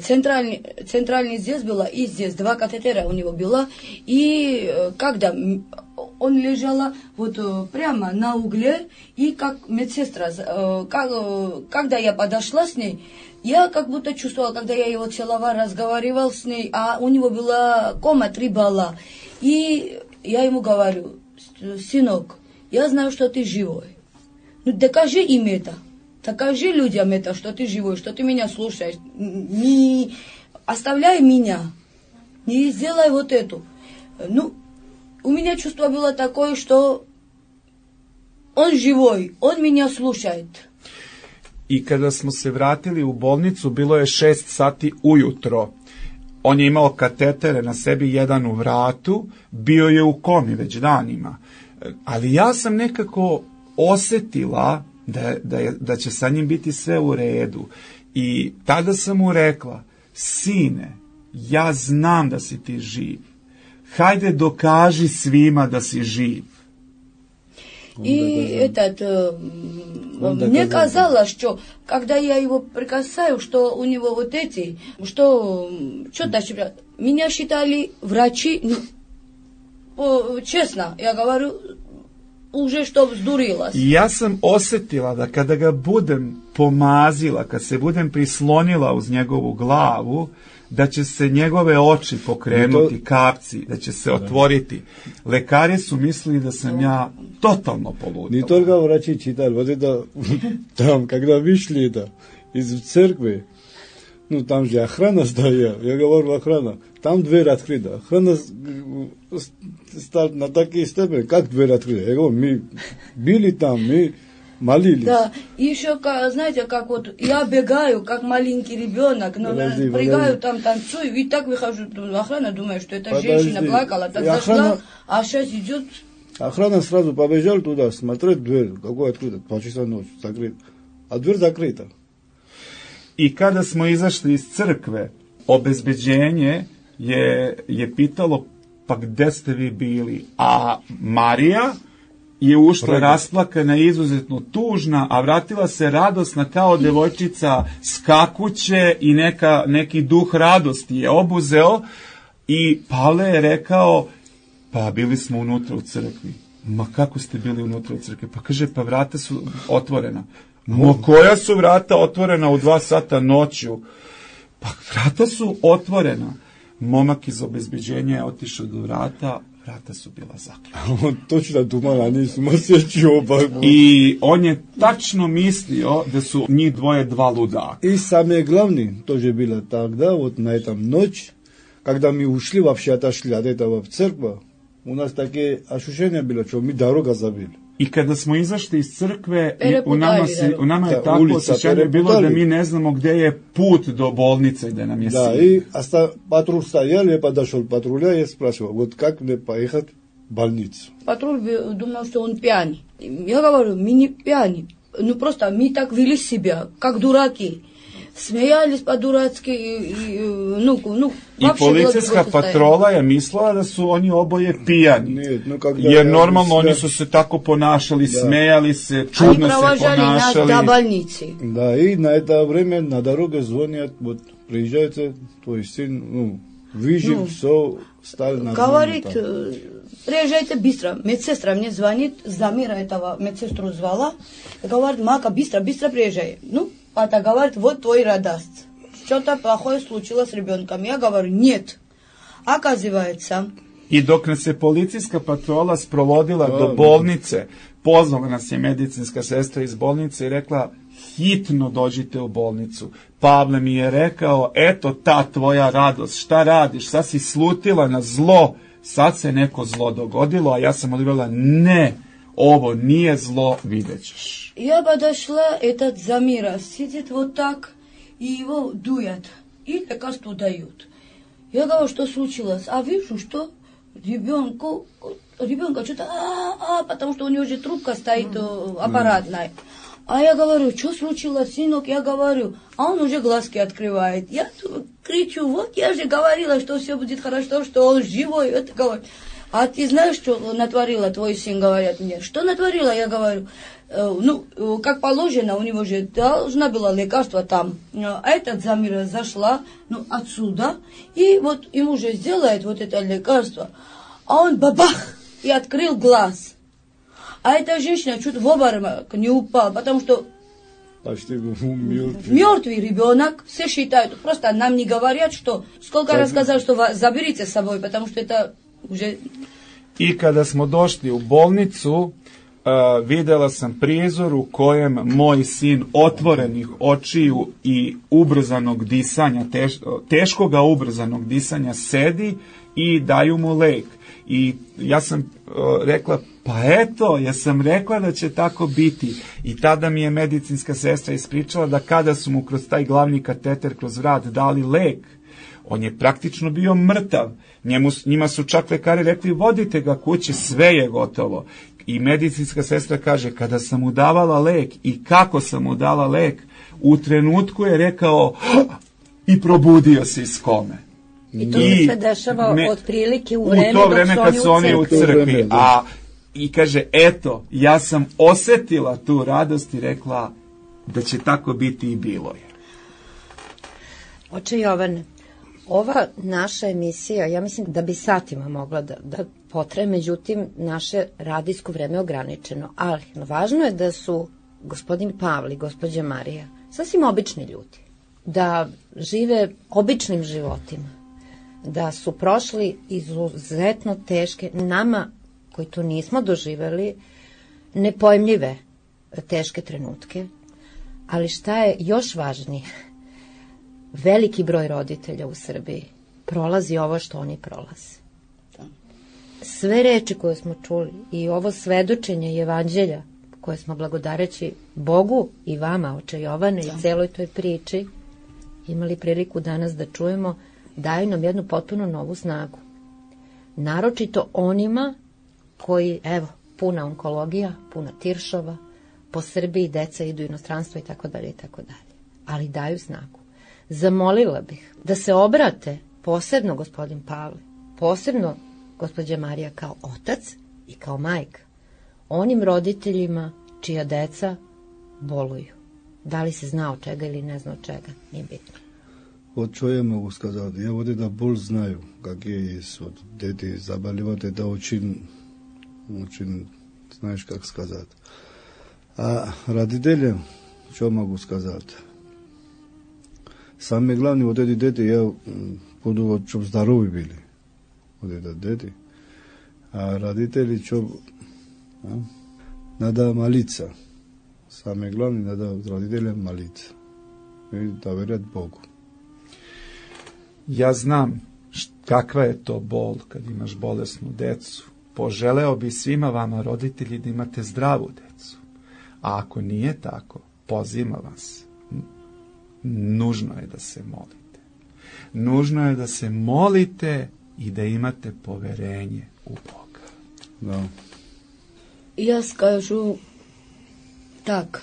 Центральный здесь было, и здесь 2 катетера у него было. И когда он лежала вот прямо на угле, и как медсестра, когда я подошла с ней, я как будто чувствовала, когда я его целовала, разговаривал с ней, а у него была кома 3 балла. И я ему говорю, сынок, я знаю, что ты живой. Ну, докажи им это. Докажи людям это, что ты живой, что ты меня слушаешь. Не оставляй меня. Не сделай вот эту. Ну, у меня чувство было такое, что он живой, он меня слушает. I kada smo se vratili u bolnicu, bilo je 6 sati ujutro. On je imao katetere na sebi, jedan u vratu, bio je u komi već danima. Ali ja sam nekako osetila da će sa njim biti sve u redu. I tada sam mu rekla, sine, ja znam da si ti živ. Hajde dokaži svima da si živ. И мне казалось, что когда я его прикасаю, что у него вот эти, что-то, меня считали врачи, ну, честно, я говорю, уже što vzdurилась. Ja sam osetila da kada ga budem pomazila, kad se budem prislonila uz njegovu glavu, da će se njegove oči pokrenuti, kapci, da će se otvoriti. Lekari su mislili da sam ja totalno poludila. Не только врачи читали, вот это там, когда вышли это из церкви, ну там же охрана стояла, я говорю, охрана, там дверь открыта. Охрана на такие степени, как дверь открыта. Я говорю, мы были там, мы молились. Да, и еще, знаете, как вот я бегаю, как маленький ребенок, но прыгаю там, танцую, и так выхожу, охрана думает, что эта женщина плакала, так зашла, а сейчас идет. Охрана сразу побежала туда, смотреть дверь, какой открыта, 2 часа ночи, закрыта. А дверь закрыта. I kada smo izašli iz crkve, obezbeđenje je pitalo, pa gde ste vi bili? A Marija je ušla rasplakana, izuzetno tužna, a vratila se radosna kao devojčica, skakuće i neki duh radosti je obuzeo. I Pavle je rekao, pa bili smo unutra u crkvi. Ma kako ste bili unutra u crkvi? Pa kaže, pa vrata su otvorena. Ma koja su vrata otvorena u 2 sata noću? Pa vrata su otvorena. Momak iz obezbeđenja je otišao do vrata, vrata su bila zaključena. On točno думал, они сумасшедшие оба. I on je tačno mislio da su njih dvoje 2 ludaka. И самое главное тоже было тогда, вот на этом ночь, когда мы ушли, вообще отошли от этого в церковь, у нас такие ощущения было, что мы дорога забили. I kada smo izašli iz crkve, u nama je tako osjećanje bilo da mi ne znamo gde je put do bolnice gde nam je sin. Да, и патруль стоял, я подошел патруля и спрашивал, вот как мне поехать в больницу? Патруль думал, что он пьяный. Я говорю, мы не пьяны. Ну просто мы так вели себя, как дураки. Smejali по-дурацки I policijska patrola je mislila da su oni oboje pijani. Jer normalno oni su se tako ponašali, smejali se, čudno se ponašali. Да, и на это время на дороге звонят, вот приезжайте, твой сын, выжил, все, стали на говорит, приезжайте быстро. Медсестра мне звонит, Замира этого медсестру звала, и говорит, Мака, быстро приезжай. Пата говорит, вот твой радость. Что-то плохое случилось с ребенком. Я говорю, нет. Оказывается... I dok nas je policijska patrola sprovodila do bolnice, pozvala nas je medicinska sestra iz bolnice i rekla, hitno dođite u bolnicu. Pavle mi je rekao, eto ta tvoja radost, šta radiš, sad si slutila na zlo, sad se neko zlo dogodilo, a ja sam odgovorila, ne, ovo nije zlo, vidjet ćeš. Я подошла, этот Замира сидит вот так, и его дуят, и лекарство дают. Я говорю, что случилось? А вижу, что ребенка что-то, потому что у него же трубка стоит аппаратная. А я говорю, что случилось, сынок? Я говорю, а он уже глазки открывает. Я кричу, вот я же говорила, что все будет хорошо, что он живой. Это говорит. А ты знаешь, что натворила твой сын, говорят мне. Что натворила? Я говорю, как положено, у него же должна была лекарство там. А этот Замира зашла, отсюда, и вот ему же сделает вот это лекарство. А он бабах, и открыл глаз. А эта женщина чуть в обморок не упала, потому что почти мертвый. Мертвый ребенок, все считают, просто нам не говорят, что сколько раз сказали, что заберите с собой, потому что это уже... I kada smo došli u bolnicu, videla sam prizor u kojem moj sin otvorenih očiju i ubrzanog disanja, teškoga ubrzanog disanja sedi i daju mu lek. I ja sam rekla, pa eto, ja sam rekla da će tako biti. I tada mi je medicinska sestra ispričala da kada su mu kroz taj glavni kateter, kroz vrat dali lek, on je praktično bio mrtav. Njima su čak lekari rekli, vodite ga kući, sve je gotovo. I medicinska sestra kaže, kada sam mu davala lek i kako sam mu dala lek, u trenutku je rekao i probudio se iz kome. I to se dešava otprilike u vreme kad su oni u crkvi. I kaže, eto, ja sam osetila tu radost i rekla da će tako biti i bilo je. Oče Jovane, ova naša emisija, ja mislim da bi satima mogla da potraje, međutim, naše radijsko vreme je ograničeno. Ali važno je da su gospodin Pavle i gospođa Marija sasvim obični ljudi, da žive običnim životima, da su prošli izuzetno teške, nama koji to nismo doživeli, nepojmljive teške trenutke, ali šta je još važnije, veliki broj roditelja u Srbiji prolazi ovo što oni prolaze. Sve reči koje smo čuli i ovo svedočenje evanđelja koje smo blagodareći Bogu i vama, oče Jovane, i celoj toj priči imali priliku danas da čujemo, daju nam jednu potpuno novu snagu. Naročito onima koji, evo, puna onkologija, puna tiršova, po Srbiji deca idu u inostranstvo i tako dalje, ali daju snagu. Zamolila bih da se obrate posebno gospodin Pavle, posebno gospođa Marija kao otac i kao majka, onim roditeljima čija deca boluju. Da li se zna od čega ili ne zna od čega, nije bitno. Вот что я могу сказать? Я вот это боль знаю, какие есть вот дети заболевают, это очень, знаешь, как сказать. А родителям, что могу сказать? Самое главное, вот эти дети, я буду, вот, чтобы здоровы были, вот это дети. А родители, что, надо молиться. Самое главное, надо родителям молиться и доверять Богу. Ja znam kakva je to bol kad imaš bolesnu decu. Poželeo bi svima vama, roditelji, da imate zdravu decu. A ako nije tako, pozivam vas, nužno je da se molite. Nužno je da se molite i da imate poverenje u Boga. Da. Я скажу так,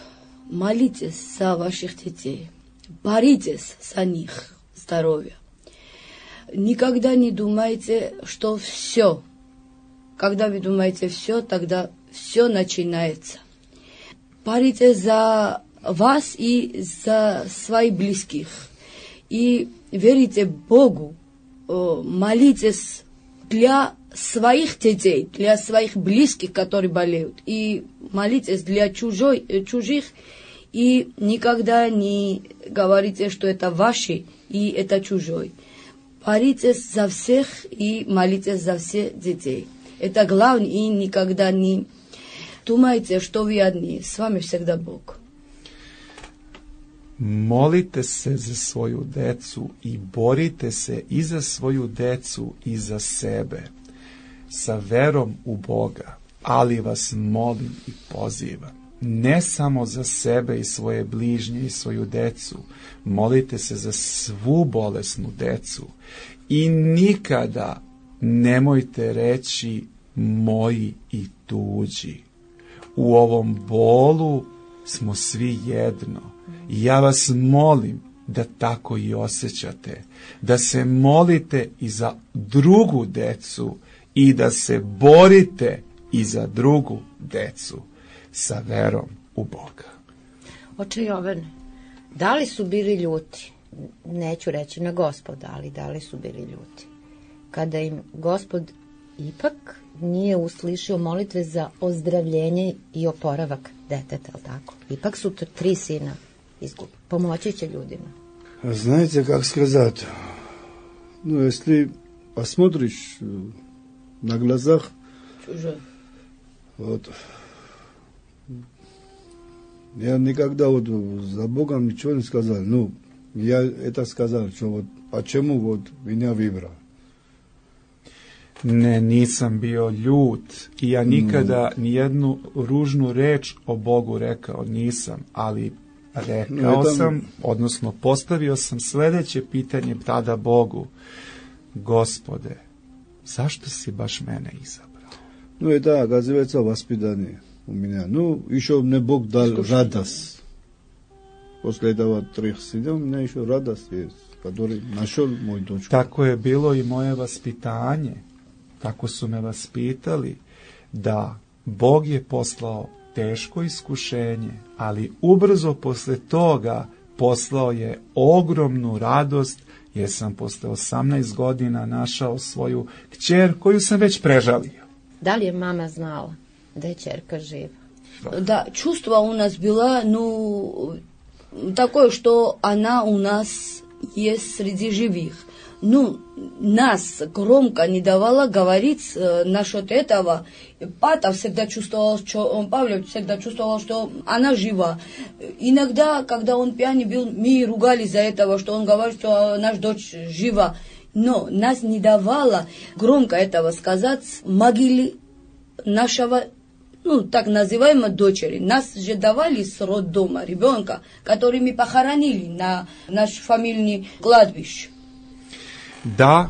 молитесь за ваших детей. боритесь за них здоровье. Никогда не думайте, что все. Когда вы думаете все, тогда все начинается. Боритесь за вас и за своих близких. И верите Богу, молитесь для своих детей, для своих близких, которые болеют. И молитесь для чужих. И никогда не говорите, что это ваши и это чужой. Боритесь за всех и молитесь за всех детей. Это главное, и никогда не думайте, что вы одни. С вами всегда Бог. Molite se za svoju decu i borite se i za svoju decu i za sebe sa verom u Boga, ali vas molim i pozivam, ne samo za sebe i svoje bližnje i svoju decu, molite se za svu bolesnu decu i nikada nemojte reći moji i tuđi. U ovom bolu smo svi jedno. I ja vas molim da tako i osjećate, da se molite i za drugu decu i da se borite i za drugu decu sa verom u Boga. Oče Jovane, da li su bili ljuti, neću reći na Gospoda, ali da li su bili ljuti, kada im Gospod ipak nije uslišio molitve za ozdravljenje i oporavak deteta, ali tako? Ipak su to 3 sina izgubili. Pomoći će ljudima. Знаете, как сказать? Ну, если посмотришь на глазах, вот, я никогда вот за Богом ничего не сказал. Ну, я это сказал, что вот почему вот меня выбрал. Ne, nisam bio ljut i ja nikada nijednu ružnu reč o Bogu rekao nisam, ali rekao sam, odnosno postavio sam sledeće pitanje tada Bogu: Gospode, zašto si baš mene izabrao? Ну, это, оказывается, воспитание у меня. Ну, еще мне Бог дал радость. После этого 3 сына у меня еще радость есть, который нашел мой дочку. Tako je bilo i moje vaspitanje. Tako su me vaspitali, da Bog je poslao teško iskušenje, ali ubrzo posle toga poslao je ogromnu radost, jer sam posle 18 godina našao svoju kćer koju sam već prežalio. Da li je mama znala da je ćerka živa? Да, чувство у нас было, ну, такое, что она у нас есть среди живых. Ну, нас громко не давала говорить насчет этого. Папа всегда чувствовал, что Павел всегда чувствовал, что она жива. Иногда, когда он пьяный был, мы ругались за этого, что он говорит, что наша дочь жива. Но нас не давала громко этого сказать могиле нашего, ну, так называемой дочери. Нас же давали с роддома ребенка, который мы похоронили на наш фамильный кладбище. Da,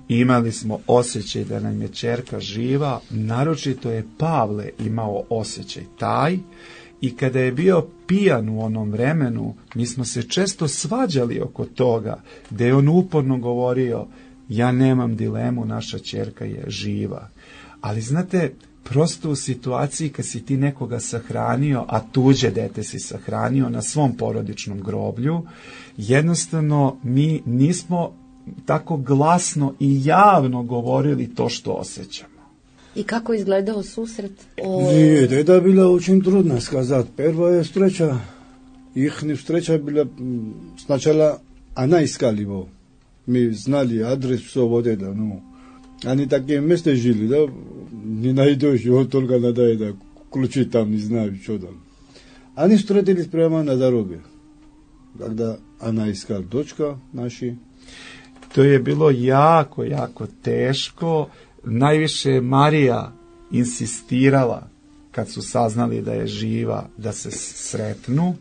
imali smo osjećaj da nam je ćerka živa, naročito je Pavle imao osjećaj taj, i kada je bio pijan u onom vremenu, mi smo se često svađali oko toga, da je on uporno govorio: ja nemam dilemu, naša ćerka je živa. Ali znate, prosto u situaciji kad si ti nekoga sahranio, a tuđe dete si sahranio na svom porodičnom groblju, jednostavno mi nismo tako glasno i javno govorili to što osjećamo. I kako izgledao susret? Нет, это было очень трудно сказать. Первая встреча, их встреча была сначала она искала его. Мы знали адрес, все вот это, ну. Они такие места жили, да, не найдешь, его только надо это, ключи там, не знаю, что там. Они встретились прямо на дороге, когда она искала дочка наша. To je bilo jako, jako teško. Najviše je Marija insistirala, kad su saznali da je živa, da se sretnu.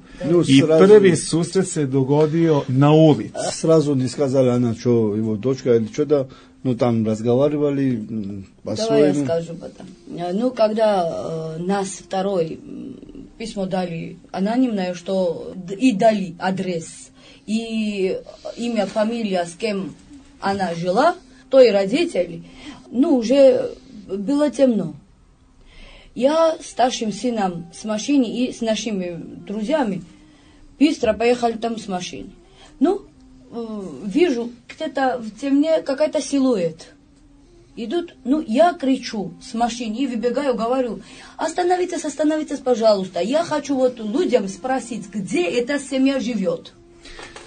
I prvi susret se dogodio na ulici. Сразу не сказали она, что его дочка или что-то, ну там разговаривали по-своему. Давай я скажу потом. Ну, когда нас второй письмо дали анонимное, что и дали адрес. и имя, фамилия, с кем она жила, то и родители, ну, уже было темно. Я с старшим сыном с машиной и с нашими друзьями быстро поехали там с машиной. Ну, вижу, где-то в темне какая-то силуэт. Идут, ну, я кричу с машины и выбегаю, говорю, остановитесь, пожалуйста. Я хочу вот людям спросить, где эта семья живет.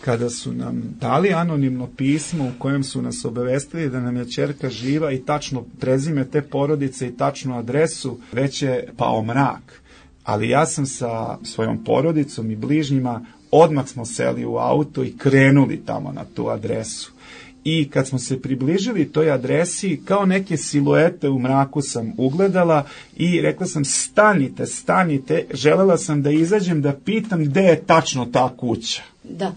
Kada su nam dali anonimno pismo u kojem su nas obavestili da nam je ćerka živa i tačno prezime te porodice i tačnu adresu, već je pao mrak. Ali ja sam sa svojom porodicom i bližnjima odmah smo seli u auto i krenuli tamo na tu adresu. I kad smo se približili toj adresi, kao neke siluete u mraku sam ugledala i rekla sam stanite, želela sam da izađem da pitam gde je tačno ta kuća. Da.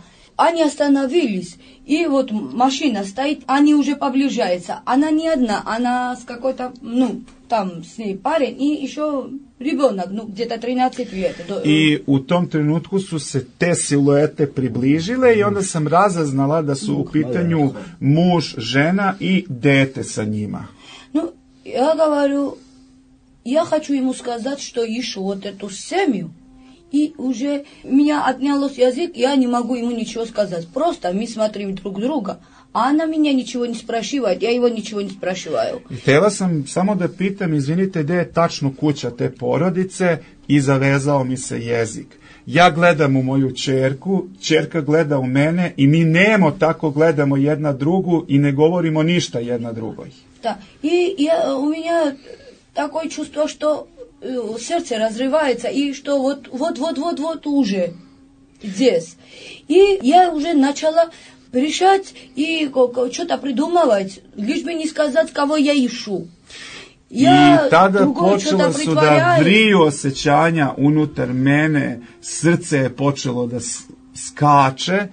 Они остановились, и вот машина стоит, они уже приближаются. Она не одна, она с какой-то, ну, там с ней парень и еще ребенок, ну, где-то 13 лет. I u tom trenutku su se te siluete približile i onda sam razaznala da su u pitanju muž, žena i dete sa njima. Ну, я говорю, я хочу ему сказать, что ищу вот эту семью. И уже меня отнялось язык, я не могу ему ничего сказать. Просто мы смотрим друг друга, a ona меня ничего не спрашивает, я его ничего не спрашиваю. Htjela sam samo da pitam, izvinite, gde je tačno kuća te porodice i zavezao mi se jezik. Ja gledam u moju ćerku, ćerka gleda u mene i mi nemo tako gledamo jedna drugu i ne govorimo ništa jedna drugoj. Da, и у меня такое чувство, что сердце разрывается, и что вот уже здесь. И я уже начала решать и что-то придумывать, лишь бы не сказать, кого я ищу. I tada počela su da vriju osjećanja unutar mene, srce je počelo da skače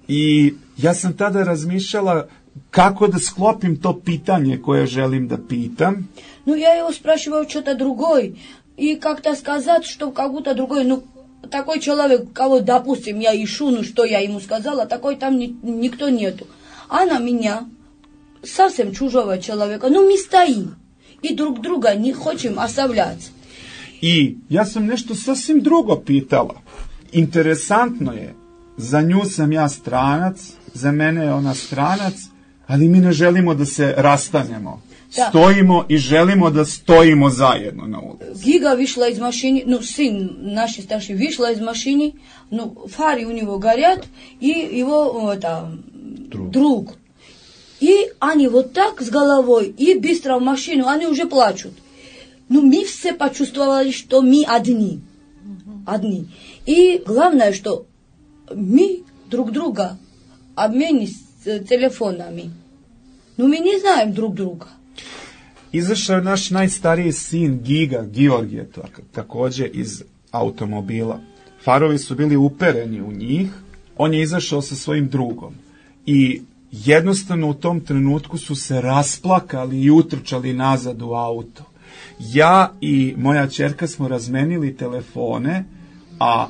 i ja sam tada razmišljala kako da sklopim to pitanje koje želim da pitam. Ну, я его спрашиваю что-то другое, и как-то сказать, что как будто другой, ну, такой человек, кого, допустим, я ищу, ну, что я ему сказала, такой там никто нету. А на меня, совсем чужого человека, ну, мы стоим, и друг друга не хотим оставлять. I ja sam nešto sasvim drugo pitala. Interesantno je, za nju sam ja stranac, za mene je ona stranac, ali mi ne želimo da se rastanemo. Da. Stojimo i želimo da stojimo zajedno na ulici. Giga вышла из машины, ну, сын нашей старший вышла из машины, ну, фары у него горят, и его друг. И они вот так с головой, и быстро в машину, они уже плачут. Ну, мы все почувствовали, что мы одни. Одни. И главное, что мы друг друга обменились телефонами. Ну, мы не знаем друг друга. Izašao je naš najstariji sin Giga, Georgije, također iz automobila. Farovi su bili upereni u njih, on je izašao sa svojim drugom. I jednostavno u tom trenutku su se rasplakali i utrčali nazad u auto. Ja i moja ćerka smo razmenili telefone, a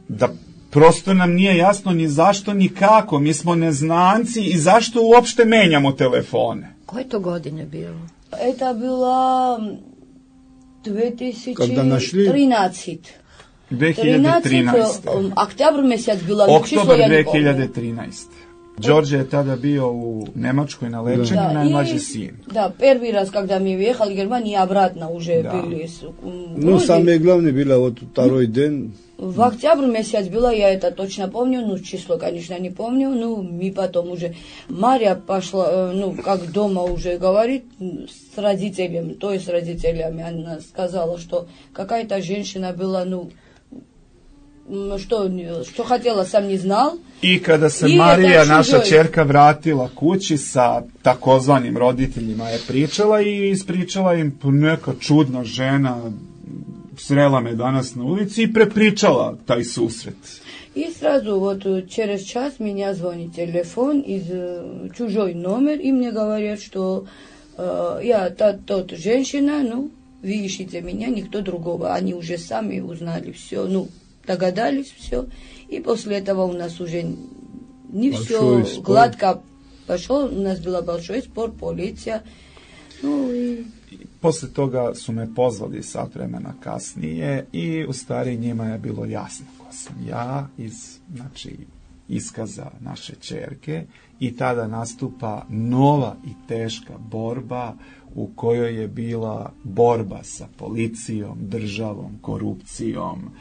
da prosto nam nije jasno ni zašto ni kako, mi smo neznanci i zašto uopšte menjamo telefone. Koje to godine bilo? Это было 2013. 2013. Октябрь месяц было. Oktobar 2013. Đorđe je tada bio u Nemačkoj na lečenju, najmlađi sin. Да, первый раз, когда мы въехали в Германию, обратно уже были. Ну, самое главное было вот второй день. В октябре месяц было, я это точно помню, ну, число, конечно, не помню, ну, мы потом уже, Марья пошла, ну, как дома уже говорит с родителями, то есть с родителями, она сказала, что какая-то женщина была, ну, što хотела, sam не znal. I kada se Marija, naša ćerka, vratila kući sa takozvanim roditeljima, je pričala i ispričala im, neka čudna žena srela me danas na ulici i prepričala taj susret. И сразу вот через час меня звонит телефон из чужой номер, и мне говорят, что я тот женщина, ну, вы ищите меня, никто другого. Они уже сами узнали все, ну, догадались все. И после этого у нас уже не все гладко пошло, у нас был большой спор, полиция. Ну, и... Posle toga su me pozvali sat vremena kasnije i u stvari njima je bilo jasno ko sam ja iz iskaza naše ćerke i tada nastupa nova i teška borba u kojoj je bila borba sa policijom, državom, korupcijom,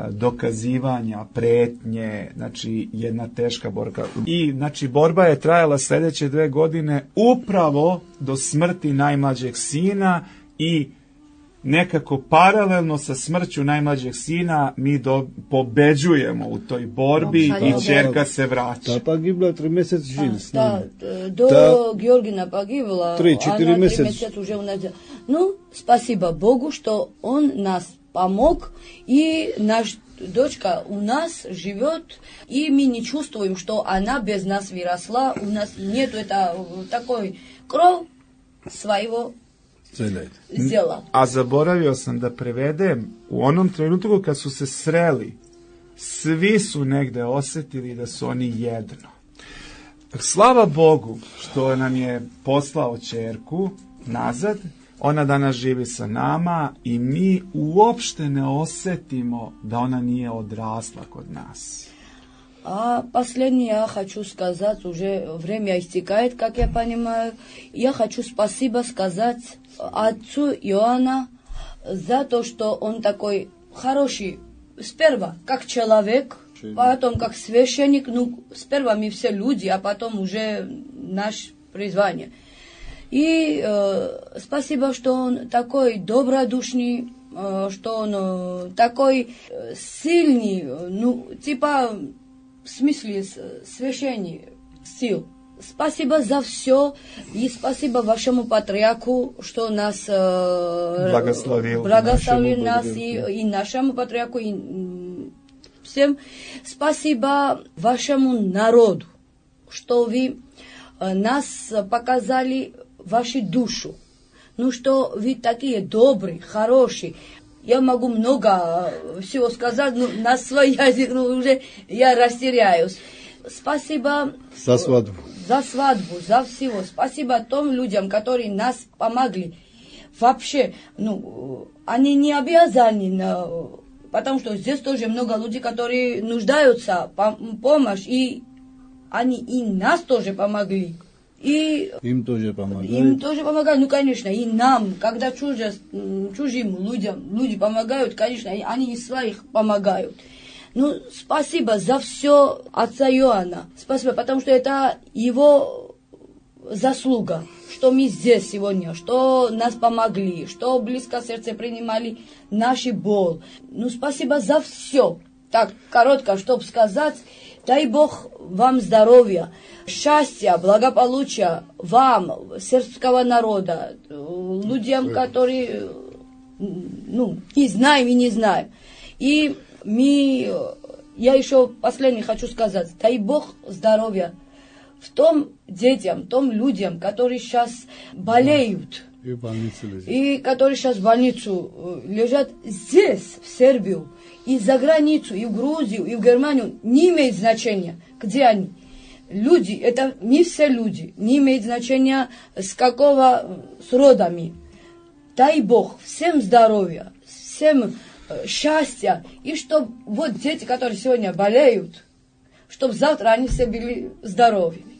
dokazivanja, pretnje, znači jedna teška borba. I znači borba je trajala sljedeće 2 godine upravo do smrti najmlađeg sina i nekako paralelno sa smrću najmlađeg sina mi pobeđujemo u toj borbi i ćerka se vraća. Ta pogibla 3 mjeseca živi s nama. Do Georgina pogibla, 3-4 mjeseca уже у нас. Ну, спасибо Богу, что он нас помог, и наш дочка у нас живет, и мы не чувствуем, что она без нас выросла, у нас нету такой кровь своего zela. A zaboravio sam da prevedem, u onom trenutku kad su se sreli, svi su negde osjetili da su oni jedno. Slava Bogu što nam je poslao ćerku nazad, ona danas živi sa nama i mi uopšte ne osjetimo da ona nije odrasla kod nas. А последнее я хочу сказать, уже время истекает, как я понимаю. Я хочу спасибо сказать отцу Иоанна за то, что он такой хороший, сперва как человек, потом как священник. Ну, сперва мы все люди, а потом уже наше призвание. И спасибо, что он такой добродушный, что он такой сильный, ну, типа... в смысле священник сил. Спасибо за все, и спасибо вашему патриарху, что нас благословил нас, и нашему патриарху, и всем. Спасибо вашему народу, что вы нас показали вашу душу. Ну, что вы такие добрые, хорошие. Я могу много всего сказать, но на свой язык уже я растеряюсь. Спасибо за свадьбу. За свадьбу, за всего. Спасибо тем людям, которые нас помогли. Вообще, ну, они не обязаны, потому что здесь тоже много людей, которые нуждаются в помощи, и они и нас тоже помогли. И им тоже помогают. Им тоже помогают, ну, конечно, и нам, когда чужим людям люди помогают, конечно, они и своих помогают. Ну, спасибо за все отца Иоанна. Спасибо, потому что это его заслуга, что мы здесь сегодня, что нас помогли, что близко сердце принимали наши боль. Ну, спасибо за все. Так, коротко, чтобы сказать, дай Бог вам здоровья, счастья, благополучия вам, сербского народа, людям, которые, ну, и знаем, и не знаем. И я еще последнее хочу сказать, дай Бог здоровья в том детям, том людям, которые сейчас болеют, и которые сейчас в больницу лежат здесь, в Сербию, и за границу, и в Грузию, и в Германию, не имеет значения, где они. Люди, это не все люди, не имеет значения с родами. Дай Бог всем здоровья, всем счастья, и чтобы вот дети, которые сегодня болеют, чтобы завтра они все были здоровыми.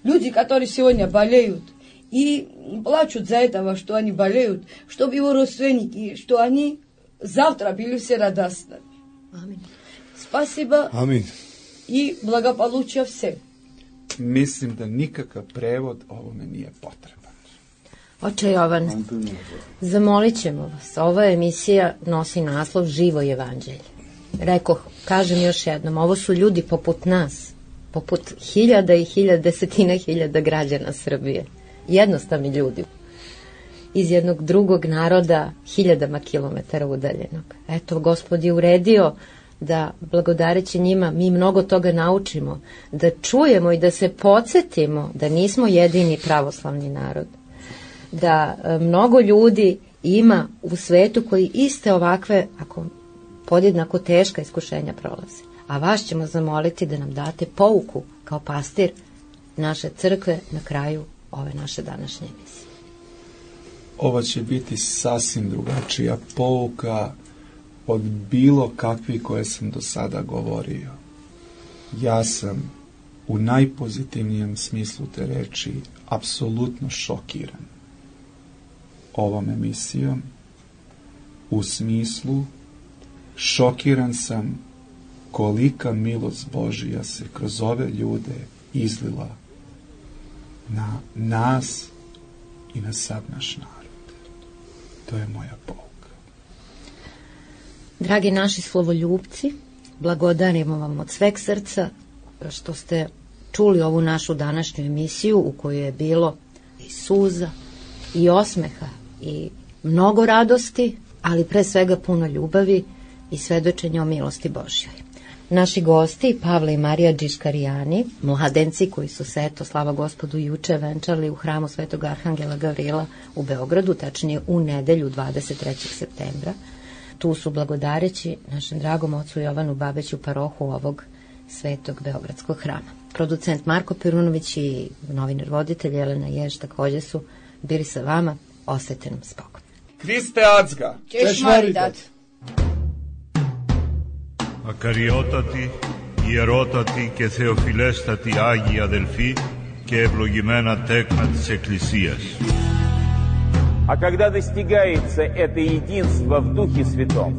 Люди, которые сегодня болеют и плачут за этого, что они болеют, чтобы его родственники, что они завтра были все радостны. Аминь. Спасибо. Аминь. И благополучия всем. Mislim da nikakav prevod ovome nije potreban. Oče Jovan, zamolit ćemo vas. Ova emisija nosi naslov Živo evanđelje. Rekoh, kažem još jednom, ovo su ljudi poput nas, poput hiljada i desetina hiljada građana Srbije. Jednostavni ljudi. Iz jednog drugog naroda, hiljadama kilometara udaljenog. Eto, Gospod je uredio da blagodareći njima mi mnogo toga naučimo, da čujemo i da se podsjetimo da nismo jedini pravoslavni narod, da mnogo ljudi ima u svetu koji iste ovakve, ako podjednako teška iskušenja prolaze. a vas ćemo zamoliti da nam date pouku kao pastir naše crkve na kraju ove naše današnje emisije. Ovo će biti sasvim drugačija pouka od bilo kakvi koje sam do sada govorio. Ja sam u najpozitivnijem smislu te reči apsolutno šokiran ovom emisijom, u smislu šokiran sam kolika milost Božija se kroz ove ljude izlila na nas i na sav naš narod. To je moja pouka. Dragi naši slovoljupci, blagodarimo vam od sveg srca što ste čuli ovu našu današnju emisiju u kojoj je bilo i suza i osmeha i mnogo radosti, ali pre svega puno ljubavi i svedočenja o milosti Božjoj. Naši gosti, Pavle i Marija Džiškarijani, mladenci koji su se, eto, slava Gospodu, juče venčali u hramu Svetog Arhangela Gavrila u Beogradu, tačnije u nedelju 23. septembra. Tu su blagodareći našem dragom ocu Jovanu Babeću, parohu ovog Svetog Beogradskog hrama. Producent Marko Perunović i novinar voditelj Jelena Jež također su bili sa vama. Ostajte nam spokojno. Kriste Acga! Češmaridat! Ακαριότατη, ιερότατη και θεοφιλέστατη Άγια Αδελφή και ευλογημένα τέκνα της Εκκλησίας. А когда достигается это единство в Духе Святом,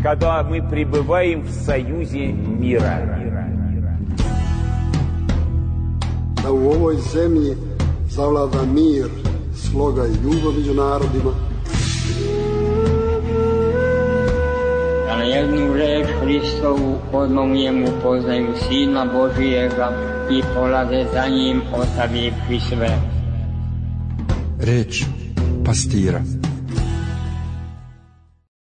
когда мы пребываем в союзе мира. Da u ovoj zemlji zavlada mir, sloga i ljubav među narodima. Da na jednu reč Hristovu odmah u njemu poznaju Sina Božijega i polaze za njim ostavivši sve. Reč pastira.